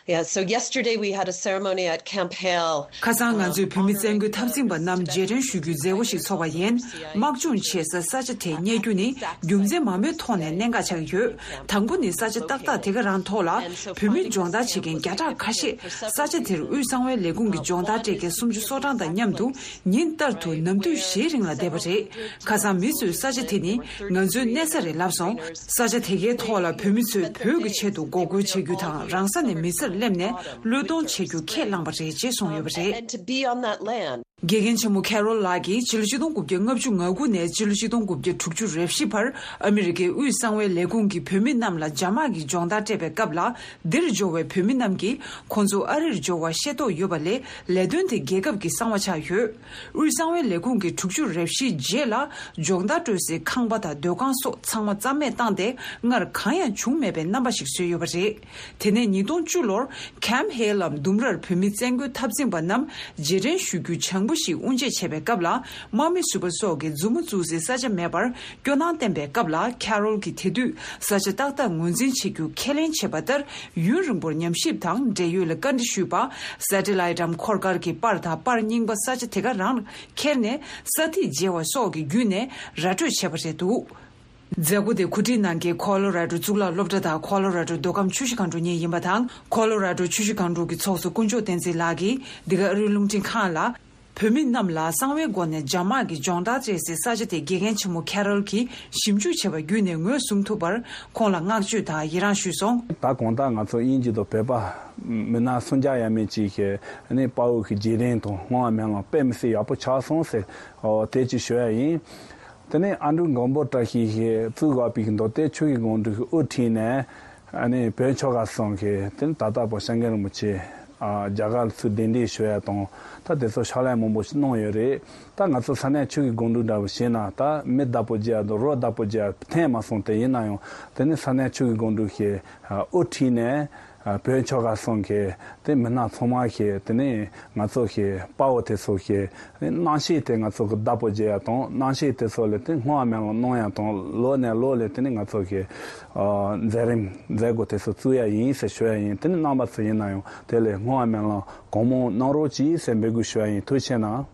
Yeah, so yesterday we had a ceremony at Camp Hale. ཁ་སང་ང་ཚོས་བོད་མི་བཙན་རྒོལ་འཐབ་འཛིང་པ་རྣམས་རྗེས་དྲན་ཞུ་རྒྱུའི་མཛད་སྒོ་ཞིག་ཚོགས་པ་ཡིན། དམག་སྦྱོང་བྱེད་ས་ས་ཆ་དེ་རྙེད་རྒྱུ་ནི་རྒྱུ་མཚན་མང་པོའི་ཐོག་ནས་གནད་འགག་ཆགས་ཀྱི་ཡོད། དང་པོ་ནི་ས་ཆ་ཏག་ཏག་དེ་ག་རང་ཐོག་ལ་བོད་མི་སྦྱོང་བརྡར་བྱེད་མཁན་བརྒྱ་ཕྲག་ཁ་ཤས་ས་ཆ་དེར་དབུས་གསང་བའི་ལས་ཁུངས་ཀྱི་སྦྱོང་བརྡར་སྤྲད་མཁན་སུམ་ཅུ་སོ་གྲངས་དང་མཉམ་དུ་ཉིན་ལྟར་དུ་ནམ་དུས་བཞིའི་རིང་ལ་བསྡད་པ་རེད། ཁ་སང་མི་ཚོས་ས་ཆ་དེ་ནི་ང་ཚོའི་གནས་ས་རེད་ལབ་སོང་། ས་ཆ་དེ་གའི་ཐོག་ལ་བོད་མི་ཚོས་བོད་ཀྱི་ཆེད་དུ་འགོག་རྒོལ་བྱེད་རྒྱུ་དང་རང་ས་ནས་མི་སེར་སླེབས་ནས་བློས་གཏོང་བྱེད་རྒྱུ་ཁས་བླངས་པ་རེད་ཅེས་གསུངས་ཡོད་པ་རེད། And to be on that land. དགེ་རྒན་ཆེན་མོ་ཁེ་རོལ་ལགས་ཀྱིས་ཕྱི་ལོ་ཆིག་སྟོང་དགུ་བརྒྱ་ལྔ་བཅུ་ང་དགུ་ནས་ཕྱི་ལོ་ཆིག་སྟོང་དགུ་བརྒྱ་དྲུག་ཅུ་རེ་བཞི་བར་ཨ་མི་རི་ཀའི་དབུས་གསང་བའི་ལས་ཁུངས་ཀྱིས་བོད་མི་རྣམས་ལ་རྒྱ་དམག་གིས་སྦྱོང་བརྡར་སྤྲད་པའི་སྐབས་ལ། འདིར་འབྱོར་བའི་བོད་མི་རྣམས་ཀྱིས་ཁོང་ཚོ་ཨ་རིར་འབྱོར་བ་ཤེས་རྟོགས་ཡོད་པ་ལས་ལས་དོན་དེ་རྒྱལ་ཁབ་ཀྱི་གསང་བ་ཆགས་ཡོད། དབུས་གསང་བའི་ལས་ཁུངས་ཀྱིས་དྲུག་ཅུ་རེ་བཞིའི་རྗེས་ལ་སྦྱོང་བརྡར་སྤྲོད་སའི་ཁང་པ་དང་སྡོད་ཁང་སོགས་ཚང་མ་རྩ་མེད་བཏང་སྟེ་སྔར་གང་ཡང་བྱུང་མེད་པའི་རྣམ་པ་ཞིག་བཟོས་ཡོད་པ་རེད། དེ་ནས་ཉིས་སྟོང་བཅུ་ལོར་ཁེམ་ཧེ་ལམ་ལྡུམ་རར་བོད་མི་བཙན་རྒོལ་འཐབ་འཛིང་པ་རྣམས་རྗེས་དྲན་ཞུ་རྒྱུའི་བྱང་བུ་ཞིག་དབུ་འབྱེད་བྱས་པའི་སྐབས་ལ་དམག་མི་ཟུར་པ་སོགས་ཀྱིས་མཛུབ་མོ་བཙུགས་སའི་ས་ཆ་མེད་པར། སྐྱོ་སྣང་བསྟན་པའི་སྐབས་ལ་ཁེ་རོལ་གྱིས་དེ་དུས་ས་ཆ་ཏག་ཏག་ངོས་འཛིན་བྱེད་རྒྱུ་ཁས་ལེན་བྱས་པ་ལྟར་ཡུན་རིང་པོར་ཉམས་ཞིབ་དང་འབྲེལ་ཡོད་ལ་བཀའ་འདྲི་ཞུས་པ། སེ་ཊི་ལའེ་ཊི་འམ་འཁོར་སྐར་གྱི་པར་དང་པར་རྙིང་པ་ས་ཆ་དེ་ག་རང་ཁྱེར་ནས་ས་ཐིག་འཇལ་བ་སོགས་ཀྱི་བརྒྱུད་ནས་ར་སྤྲོད་བྱས་པ་རེད་འདུག་མཛད་སྒོ་དེ་གོ་སྒྲིག་གནང་མཁན་ཁོ་ལོ་ར་ཌོ་གཙུག་ལག་སློབ་གྲྭ་དང་ཁོ་ལོ་ར་ཌོ་མདོ་ཁམས་ཆུ་བཞི་སྒང་དྲུག་གཉིས་ཡིན་པ་དང་། ཁོ་ལོ་ར་ཌོ་ཆུ་བཞི་སྒང་དྲུག་གི་ཚོགས་གཙོ་དཀོན་མཆོག་བསྟན་འཛིན་ལགས་ཀྱིས་འདི་ག་ཨ་རིའི་རླུང་འཕྲིན་ཁང་ལ། བོད་མི་རྣམས་ལ་གསང་བའི་སྒོ་ནས་རྒྱ་དམག་གིས་སྦྱོང་བརྡར་སྤྲད་སའི་ས་ཆ་དེ་དགེ་རྒན་ཆེན་མོ་ཁེ་རོལ་གྱིས་ཞིབ་འཇུག་བྱས་པ་བརྒྱུད་ནས་ངོས་བཟུང་ཐུབ་པར་ཁོང་ལ་བསྔགས་བརྗོད་དང་ཡི་རངས་ཞུས་སོང་། ད་གང་ལྟར་ང་ཚོ་དབྱིན་ཇི་དང་བོད་པ་མི་སྣ་སུམ་བརྒྱ་ཡས་མས་ཅིག་གིས་ནི་དཔའ་བོ་གི་རྗེས་དྲན་དང་བསྔོ་བ་སྨོན་ལམ་དཔེ་མི་སྲིད་ཡག་པོ་ཆགས་སོང་ཟེར། ཨོ་དེ་ཅིག་ཞུ་ཡ་ཡིན། དེ་ནས་ཨ་འབྲུག་མགོན་པོ་བཀྲ་ཤིས་ཀྱིས་བཙུགས་དགོས་པའི་མདོ་སྟོད་ཆོས་ཀྱི་སྒང་དྲུག་གི་དབུ་ཁྲིད་ནས་ཨ་ནི་བོད་ཆོལ་ཁ་གསུམ་གྱི་དེ་ནི་ད་ལྟ་བོད་སྐྱབས་མགོན་རིན་པོ་ཆེ་ཨ་རྒྱ་གར་ལ་ཚུར་གདན་འདྲེན་ཞུ་ཡ་དང་ད་དེ་ཚོ་ཕྱག་ལས་མང་པོ་ཞིག་གནང་ཡོད་རེད། ད་ང་ཚོ་ས་གནས་ཆོས་ཀྱི་སྒང་དྲུག་འདྲ་བོ་བྱས་ན་ད་མི་བདག་པོ་རྒྱག་དང་རོ་བདག་པོ་རྒྱག་ཐེངས་མ་སོང་། དེ་ཡིན་ན་ཡང་དེ་ནི་ས་གནས་ཆོས་ཀྱི་སྒང་དྲུག་གི་ཨ་དབུ་ཁྲིད་ནས། ཨ་བོད་ཆོལ་ཁ་གསུམ་གྱི་དེ་མི་སྣ་ཚང་མ་གིས་དེ་ནས་ང་ཚོ་གི་དཔའ་བོ་དེ་ཚོ་གི་རྣམ་ཤེས་དེ་ང་ཚོ་གི་བདག་པོ་བྱེད་ཡ་དང་རྣམ་ཤེས་དེ་ཚོ་ལ་དེ་བསྔོ་བ་སྨོན་ལམ་གནང་ཡ་དང་ལོ་ནས་ལོ་ལ་དེ་ནས་ང་ཚོ་གི་ཨ་མཛད་རིམ་མཛད་སྒོ་དེ་ཚོ་བཙུགས་ཡ་ཡིན་ཟེར་ཞུ་ཡ་ཡིན། དེ་ནས་རྣམ་པ་ཚོ་ཡིན་ན་ཡང་དེ་ལ་བསྔོ་བ་སྨོན་ལམ་གང་མང་གནང་རོགས་གྱིས་ཟེར་འབོད་སྐུལ་ཞུ་ཡ་ཡིན། ཐུགས་རྗེ་གནང་།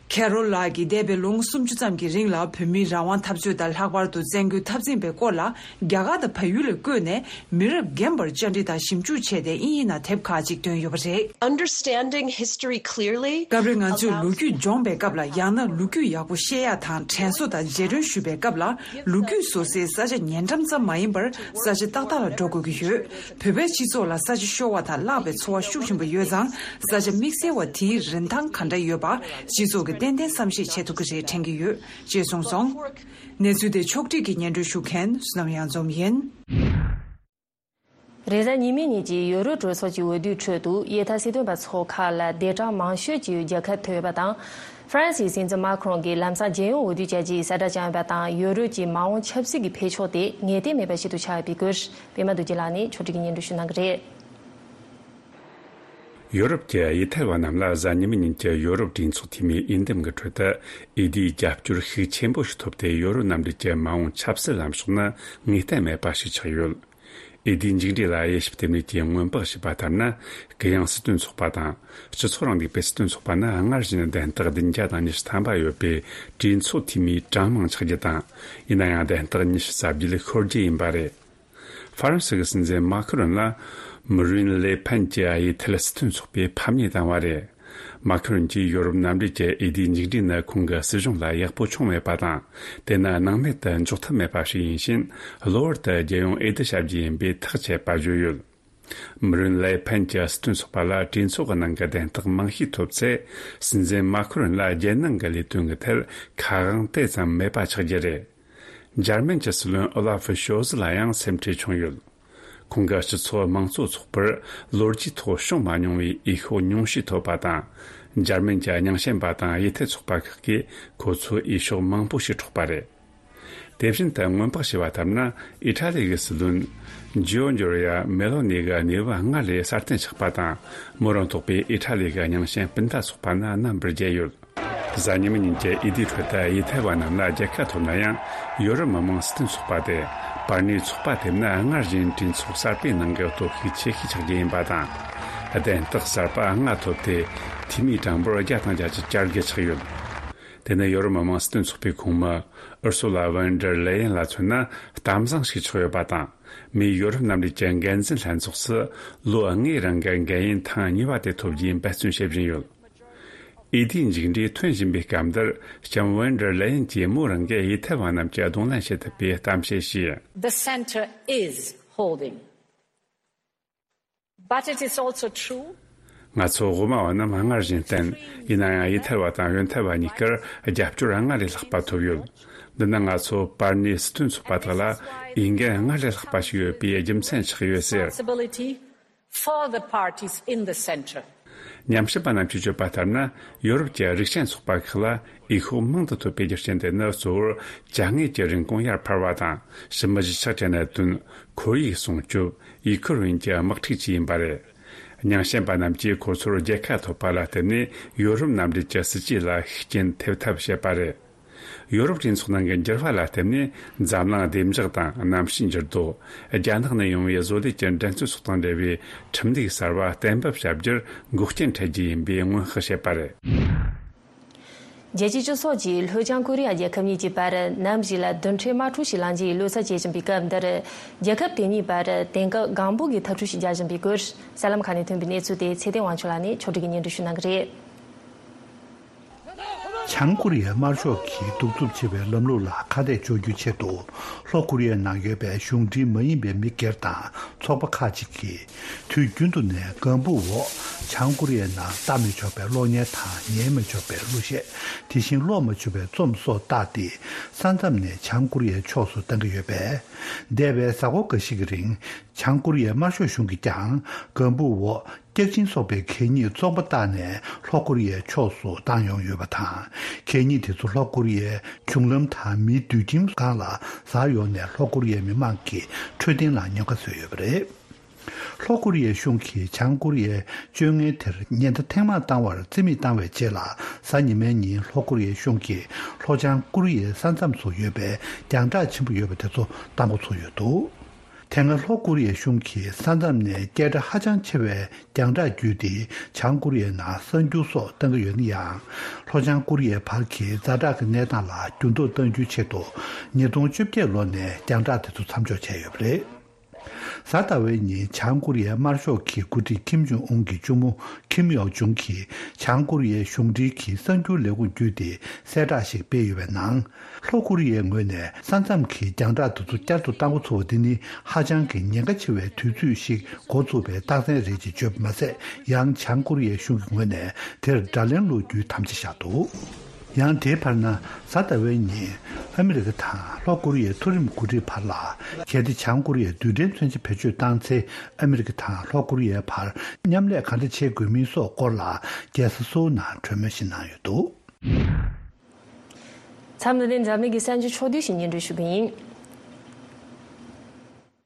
ཁེ་རོལ་ལགས་ཀྱིས་འདས་པའི་ལོ་ངོ་སུམ་ཅུ་ཙམ་གྱི་རིང་ལ་བོད་མིའི་རང་དབང་འཐབ་རྩོད་དང་ལྷག་པར་དུ་བཙན་རྒོལ་འཐབ་འཛིང་པའི་སྐོར་ལ་རྒྱ་གར་དང་བལ་ཡུལ་ལ་བསྐྱོད་ནས་མི་རབས་རྒན་པར་བཅར་འདྲི་དང་ཞིབ་འཇུག་བྱས་ཏེ་དབྱིན་ཡིག་ནང་དེབ་ཁག་ཅིག་བཏོན་ཡོད་པ་རེད། Understanding history clearly. སྐབས་རེ་ང་ཚོས་ལོ་རྒྱུས་སྦྱོང་བའི་སྐབས་ལ་ཡང་ན་ལོ་རྒྱུས་ཡག་པོ་ཤེས་ཡ་དང་དྲན་གསོ་དང་རྗེས་དྲན་ཞུ་བའི་སྐབས་ལ་ལོ་རྒྱུས་བཟོ་སའི་ས་ཆ་ཉེ་འགྲམ་ཙམ་མ་ཡིན་པར་ས་ཆ་ཏག་ཏག་ལ་འགྲོ་དགོས་ཀྱི་ཡོད། བོད་པའི་སྤྱི་ཚོགས་ལ་ས་ཆ་ཤོར་བ་དང་བརླག་པའི་ཚོར་བ་ཤུགས་ཆེན་པོ་ཡོད་ཙང་ས་ཆ་དམིགས་བསལ་བ་དེའི་རིན་ཐང་ག་འདྲ་ཡོད་པ་སྤྱི་ཚོགས་ཀྱིས་ཏན་ཏན་བསམ་ཤེས་བྱེད་ཐུབ་ཀྱི་རེད་དྲན་གྱི་ཡོད་ཅེས་གསུངས་སོང་། གནས་ཚུལ་དེ་ཕྱོགས་སྒྲིག་གིས་སྙན་སྒྲོན་ཞུ་མཁན་བསོད་ནམས་གཡང་འཛོམས་ཡིན། རེས་གཟའ་ཉི་མའི་ཉིན་གྱི་ཡོ་རོབ་གྲོས་ཚོགས་ཀྱི་འོས་བསྡུའི་ཁྲོད་དུ་གཡས་འཐབ་སྲིད་དོན་པ་ཚོ་ཁག་ལ་སྡེ་གྲངས་མང་ཤོས་ཀྱི་རྒྱལ་ཁ་ཐོབ་ཡོད་པ་དང་། ཧྥ་རན་སིའི་སྲིད་འཛིན་མཱ་ཁི་རོན་གྱིས་ལམ་སང་རྒྱལ་ཡོངས་འོས་བསྡུ་བྱ་རྒྱུའི་གསལ་བསྒྲགས་བྱུང་ཡོད་པ་དང་། ཡོ་རོབ་ཀྱི་མ་འོངས་ཆབ་སྲིད་ཀྱི་འཕེལ་ཕྱོགས་དེ་ངེས་གཏན་མེད་པ་ཞིག་ཏུ་ཆགས་ཡོད་པའི་སྐོར་པད་མ་རྡོ་རྗེ་ལགས་ནས་ཕྱོགས་སྒྲིག་གིས་སྙན་སྒྲོན་ཞུ་གནང་གི་རེད། ཡོ་རོབ་ཀྱི་གཡས་འཐབ་པ་རྣམས་ལ་གཟའ་ཉི་མའི་ཉིན་གྱི་ཡོ་རོབ་གྲོས་ཚོགས་འཐུས་མིའི་འོས་འདེམས་ཀྱི་ཁྲོད་དུ་འོས་བསྡུའི་རྒྱབ་སྐྱོར་ཤུགས་ཆེན་པོ་ཞིག་ཐོབ་སྟེ། ཡོ་རོབ་མཉམ་འབྲེལ་གྱི་མ་འོངས་ཆབ་སྲིད་ལམ་ཕྱོགས་ནི་ངེས་གཏན་མེད་པ་ཞིག་ཆགས་ཡོད། འོས་བསྡུའི་མཇུག་འབྲས་ལ་དབྱེ་ཞིབ་རྟེན་གནས་ཀྱིས་སྔོན་དཔག་བྱས་པ་ལྟར་ན། གུ་ཡངས་སྲིད་དོན་ཚོགས་པ་དང་སྤྱི་ཚོགས་རིང་ལུགས་པའི་སྲིད་དོན་ཚོགས་པ་ནི་སྔར་བཞིན་གདན་སྟེགས་བདུན་བརྒྱ་དང་ཉི་ཤུ་ཐམ་པ་ཡོད་པའི་གྲོས་ཚོགས་འཐུས་མིའི་གྲངས་མང་ཆགས་རྒྱུ་དང་། ཡིན་ན་ཡང་གདན་སྟེགས་ཉི་ཤུ་རྩ་བརྒྱད་ཤོར་རྒྱུ་ཡིན་པ་རེད། ཧྥ་རན་སི་གི་སྲིད་འཛིན་མཱ་ཁི་རོན་ལ་མི་རིན་ལེ་ཕན་གྱིས་གཡས་འཐབ་སྲིད་དོན་ཚོགས་པའི་ཕམ་ཉེས་བཏང་བ་རེད། མཱ་ཁི་རོན་གྱིས་ཡོ་རོབ་མཉམ་འབྲེལ་གྱི་འོས་བསྡུའི་མཇུག་འབྲས་ནི་ཁོང་གི་སྲིད་གཞུང་ལ་ཡག་པོ་བྱུང་མེད་པ་དང་། དེ་ནི་སྣང་མེད་དུ་འཇོག་ཐབས་མེད་པ་ཞིག་ཡིན་ཕྱིན། གློ་བུར་དུ་རྒྱལ་ཡོངས་འོས་བསྡུ་བྱ་རྒྱུ་ཡིན་པས་ཐག་བཅད་པ་བརྗོད་ཡོད། མི་རིན་ལེ་ཕན་གྱི་སྲིད་དོན་ཚོགས་པ་ལ་གྲོས་ཚོགས་ཀྱི་ནང་གི་གདན་སྟེགས་མང་ཤོས་ཐོབ་ཚེ། སྲིད་འཛིན་མཱ་ཁི་རོན་ལ་རྒྱལ་ནང་གི་ལས་དོན་གྱི་ཐད་ཁ་དབང་དེ་ཙམ་མེད་པ་ཆགས་རྒྱུ་རེད། འཇར་མན་གྱི་སྲིད་བློན་ཨོ་ལ་ཧྥི་ཤོལ་ཛི་ལ་ཡང་སེམས་ཁྲལ་བྱུང་ཡོད། ཁོང་གི་སྤྱི་ཚོགས་དམངས་གཙོ་ཚོགས་པར་ལོ་རྒྱུས་ཐོག་བྱུང་མ་མྱོང་བའི་འོས་ཤོག་ཉུང་ཤས་ཐོབ་པ་དང་། འཇར་མན་གྱི་རྙིང་ཞེན་པ་དང་གཡས་འཐབ་ཚོགས་པ་ཁག་གིས་ཁོ་ཚོའི་འོས་ཤོག་མང་པོ་ཞིག་འཕྲོག་པ་རེད། དེ་བཞིན་དུ་སྔོན་དཔག་བྱས་པ་ལྟར་ན། ཨི་ཊ་ལི་གི་སྲིད་བློན་ཇོ་ཇོ་རི་ཡ་མེ་ལོ་ནི་གི་གནས་བབ་སྔར་ལས་སྲ་བརྟན་ཆགས་པ་དང་། མོ་རང་ཐོག་པའི་ཨི་ཊ་ལི་གི་རྙིང་ཞེན་སྤུན་ཟླ་ཚོགས་པ་ནི་རྣམ་པར་རྒྱལ་ཡོད། གཟའ་ཉི་མ་ཉིན་གྱི་འོས་བསྡུའི་ཁྲོད་དུ་ཡུལ་ཐེ་ཝན་རྣམས་ལ་རྒྱལ་ཁ་ཐོབ་ན་ཡང་། ཡོ་རོབ་མི་དམངས་སྲིད་དོན་ཚོགས་པ་དེ་པར་ནི་ཚོགས་པ་དེ་ནི་སྔར་བཞིན་གྲོས་ཚོགས་གསར་སྤེལ་གནང་གི་སྟོབས་ཤུགས་ཆེ་ཤོས་ཆགས་རྒྱུ་ཡིན་པ་དང་། གདན་རྟགས་གསར་པ་ལྔ་ཐོབ་སྟེ། འཐུས་མིའི་གྲངས་འབོར་བརྒྱ་དང་བརྒྱད་ཅུ་གྱ་དགུ་ཆགས་ཡོད། དེ་ནི་ཡོ་རོབ་མི་དམངས་སྲིད་དོན་ཚོགས་པའི་ཁོངས་མི་ཨུར་སུ་ལ་ཝན་ཌར་ལེ་ཡན་ལ་མཚོན་ན་གཏམ་བཟང་ཞིག་ཆགས་ཡོད་པ་དང་། མིས་ཡོ་རོབ་མཉམ་འབྲེལ་གྱི་འགན་འཛིན་ལྷན་ཚོགས་སུ་ལོ་ལྔའི་རིང་གི་འགན་ཡུན་ཐེངས་གཉིས་པ་དེ་ཐོབ་རྒྱུའི་འབད་བརྩོན་བྱེད་བཞིན་ཡོད། འོས་བསྡུའི་མཇུག་འབྲས་ཐོན་བཞིན་པའི་སྐབས་འདིར། ལྕམ་ཝན་ཌར་ལེ་ཡན་གྱིས་མོ་རང་གི་ཡུལ་ཐེ་ཝན་རྣམས་ཀྱིས་གདོང་ལེན་བྱེད་ཐུབ་པའི་གཏམ་བཤད་བྱས། The center is holding, but it is also true. ང་ཚོ་དབུ་མ་བ་རྣམས་སྔར་བཞིན་བརྟན། ཡིན་ན་ཡང་ཡུལ་ཐེ་ཝན་དང་ཡོན་ཐེ་ཝན་གཉིས་ཀར་རྒྱབ་སྐྱོར་སྔར་ལས་ལྷག་པ་ཐོབ་ཡོད། འདི་ནི་ང་ཚོ་པར་ནི་སྲིད་དོན་ཚོགས་པ་དག་ལ་འོས་འགན་སྔར་ལས་ལྷག་པ་ཞིག་ཡོད་པའི་རྒྱུ་མཚན་ཆགས་ཡོད་ཟེར། Responsibility for the parties in the center. ཉམས་ཞིབ་པ་རྣམས་ཀྱིས་བརྗོད་པ་ལྟར་ན། ཡོ་རོབ་ཀྱི་རིགས་ཅན་ཚོགས་པ་ཁག་ལ་འོས་ཤོག་མང་དུ་ཐོབ་པའི་རྒྱུ་རྐྱེན་དེ་ནི། གཙོ་བོར་ཅ་དངོས་ཀྱི་རིན་གོང་ཡར་འཕར་བ་དང་། ཕྱི་མི་གཞིས་ཆགས་ཀྱི་གནད་དོན། ཁོར་ཡུག་སྲུང་སྐྱོབ། ཡུ་ཁུ་རེན་གྱི་དམག་འཁྲུག་བཅས་ཡིན་པ་རེད། ཉམས་ཞིབ་པ་རྣམས་ཀྱིས་ཁོ་ཚོར་རྒྱལ་ཁ་ཐོབ་པ་ལ་བརྟེན་ནས། ཡོ་རོབ་མཉམ་འབྲེལ་གྱི་སྲིད་ཇུས་ལ་ཤུགས་རྐྱེན་ཐེབས་ཐབས་བྱེད་པ་རེད། ཡོ་རོབ་གྲོས་ཚོགས་ནང་གི་འགྱུར་བ་ལ་བརྟེན་ནས། འཛམ་གླིང་བདེ་འཇགས་དང་གནམ་གཤིས་འགྱུར་ལྡོག། རྒྱ་ནག་ནས་ཡོང་བའི་བཟོ་ལས་ཀྱི་འགྲན་རྩོད་སོགས་དང་འབྲེལ་བའི་ཁྲིམས་ལུགས་གསར་བ་གཏན་འབེབས་བྱ་རྒྱུར་འགོག་རྐྱེན་འཕྲད་རྒྱུ་ཡིན་པའི་སྔོན་དཔག་བྱས་པ་རེད། རྒྱལ་སྤྱིའི་སྤྱི་ཚོགས་ཀྱིས་ལྷོ་བྱང་ཀོ་རི་ཡ་རྒྱལ་ཁབ་གཉིས་ཀྱི་བར་ནམ་ཞིག་ལ་རྡུལ་ཕྲན་དམག་འཁྲུག་ཞིག་ལངས་རྒྱུ་ཡི་བློ་འཚབ་བྱེད་བཞིན་པའི་སྐབས་འདིར། རྒྱལ་ཁབ་དེ་གཉིས་བར་དེང་སྐབས་སྒང་འབོད་ཀྱི་འཐབ་འཁྲུག་ཞིག་རྒྱག་བཞིན་པའི་སྐོར། གསར་ལམ་ཁག་ནས་ཐོན་པའི་གནས་ཚུལ་དེ་ཚེ་བརྟན་དབང་ཕྱུག་ལགས་ནས་ཕྱོགས་སྒྲིག་གིས་སྙན་སྒྲོན་ཞུ་གནང་གི་རེད། བྱང་ཀོ་རི་ཡའི་དམར་ཤོག་གིས་གདུག་རྩུབ་ཆེ་བའི་ལམ་ལུགས་ལ་ཁ་གཏད་གཅོག་རྒྱུའི་ཆེད་དུ། ལྷོ་ཀོ་རི་ཡའི་ནང་ཡོད་པའི་གཞུང་འབྲེལ་མ་ཡིན་པའི་མི་སྒེར་དང་ཚོགས་པ་ཁག་ཅིག་གིས། དུས་རྒྱུན་དུ་ནས་ལྒང་བུ་འོག་བྱང་ཀོ་རི་ཡའི་ནང་ལྟ་མི་ཆོག་པའི་གློག་བརྙན་དང་ཉན་མི་ཆོག་པའི་གླུ་གཞས། དེ་བཞིན་ཀློག་མ་ཆོག་པའི་རྩོམ་སོགས་བཏགས་ཏེ། ས་མཚམས་ནས་བྱང་ཀོ་རི་ཡའི་ཕྱོགས་སུ་བཏང་གི་ཡོད་པས། འདས་པའི་གཟའ་འཁོར་འགའ་ཞིག་གི་རིང་། བྱང་ཀོ་རི་ཡའི་དམར་ཤོག་གཞུང་གིས་ཀྱང་། ལྒང་བུ་འོག་སྐྱག་གཅིན་སོགས་པའི་གད་སྙིགས་བཙོག་པ་བཏགས་ནས་ལྷོ་ཀོ་རི་ཡའི་ཕྱོགས་སུ་བཏང་ཡོང་ཡོད་པ་དང་། གད་སྙིགས་དེ་ཚོ་ལྷོ་ཀོ་རི་ཡའི་གཞུང་ལམ་དང་མིའི་སྡོད་ཁྱིམ་སྒང་ལ་འཛག་ཡོང་ནས། ལྷོ་ཀོ་རི་ཡའི་མི་མང་གི་འཕྲོད་བསྟེན་ལ་ཉེན་ཁ་བཟོས་ཡོད་པ་རེད། ལྷོ་ཀོ་རི་ཡའི་གཞུང་གིས་བྱང་ཀོ་རི་ཡའི་སྤྱོད་ངན་དེར་ཉེན་བརྡ་ཐེངས་མང་བཏང་བར་རྩིས་མེད་བཏང་བའི་རྗེས་ལ། གཟའ་ཉི་མའི་ཉིན་ལྷོ་ཀོ་རི་ཡའི་གཞུང་གིས་ལྷོ་བྱང་ཀོ་རི་ཡའི་ས་མཚམས་སུ་ཡོད་པའི་རྒྱང་གྲགས་ཆེན་པོ་ཡོད་པ་དེ་ཚོ་བཏང་འགོ་ཚུགས་ཡོད་འདུག་དེ་སྔ་ལྷོ་ཀོ་རི་ཡའི་གཞུང་གིས་ས་མཚམས་ནས་སྐད་གྲགས་ཧ་ཅང་ཆེ་བའི་རྒྱང་གྲགས་བརྒྱུད་དེ། བྱང་ཀོ་རི་ཡའི་ནང་གསར་འགྱུར་སོགས་བཏང་གི་ཡོད་ན་ཡང་། ལྷོ་བྱང་ཀོ་རི་ཡའི་བར་གྱི་ཛ་དྲག་གི་གནས་སྟངས་ལ་འགྱུར་ལྡོག་གཏང་རྒྱུའི་ཆེད་དུ། ཉིས་སྟོང་བཅོ་བརྒྱད་ལོ་ནས་རྒྱང་གྲགས་དེ་ཚོ་མཚམས་འཇོག་བྱས་ཡོད་པ་རེད། གཟའ་ཟླ་བའི་ཉིན་བྱང་ཀོ་རི་ཡའི་དམར་ཤོག་གི་འགོ་ཁྲིད་ཁིམ་ཇོང་ཨུན་གྱི་གཅུང་མོ་ཁིམ་ཡོག་ཇུང་གིས། བྱང་ཀོ་རི་ཡའི་གཞུང་འབྲེལ་གྱི་གསར་འགྱུར་ལས་ཁུངས་བརྒྱུད་དེ་གསལ་བསྒྲགས་ཤིག་སྤེལ་ཡོད་པའི་ནང་། ལྷོ་ཀོ་རི་ཡའི་ངོས་ནས་ས་མཚམས་ཀྱི་རྒྱང་གྲགས་དེ་ཚོ་བསྐྱར་དུ་བཏང་འགོ་ཚུགས་པ་འདི་ནི། ཧ་ཅང་གི་ཉེན་ཁ་ཆེ་བའི་དུས་ཚོད་ཞིག་འགོ་ཚུགས་པའི་རྟགས་མཚན་རེད་ཅེས་བརྗོད་པ་མ་ཟད། ཡང་བྱང་ཀོ་རི་ཡའི་གཞུང་གི་ངོས་ནས་དེར་དགྲ་ལན་སློག་རྒྱུའི་དམ་བཅའ་བཞག་འདུག་ཡང་དེའི་བར་ན། གཟའ་ཟླ་བའི་ཉིན་ཨ་མི་རི་ཀ་དང་ལྷོ་ཀོ་རི་ཡའི་མཐོ་རིམ་འགོ་ཁྲིད་བར་ལ། གལ་ཏེ་བྱང་ཀོ་རི་ཡས་རྡུལ་ཕྲན་མཚོན་ཆ་བེད་སྤྱོད་བཏང་ཚེ། ཨ་མི་རི་ཀ་དང་ལྷོ་ཀོ་རི་ཡའི་བར་མཉམ་ལས་ག་འདྲ་བྱེད་དགོས་མིན་སོགས་སྐོར་ལ། རྒྱལ་ས་སོའུ་ནང་གྲོས་མོལ་ཞིག་གནང་ཡོད་འདུག་མཚམས་འདི་ནས་འཛམ་གླིང་གི་གསར་འགྱུར་ཕྱོགས་བསྡུས་ཤིག་སྙན་སྒྲོན་ཞུ་གི་ཡིན།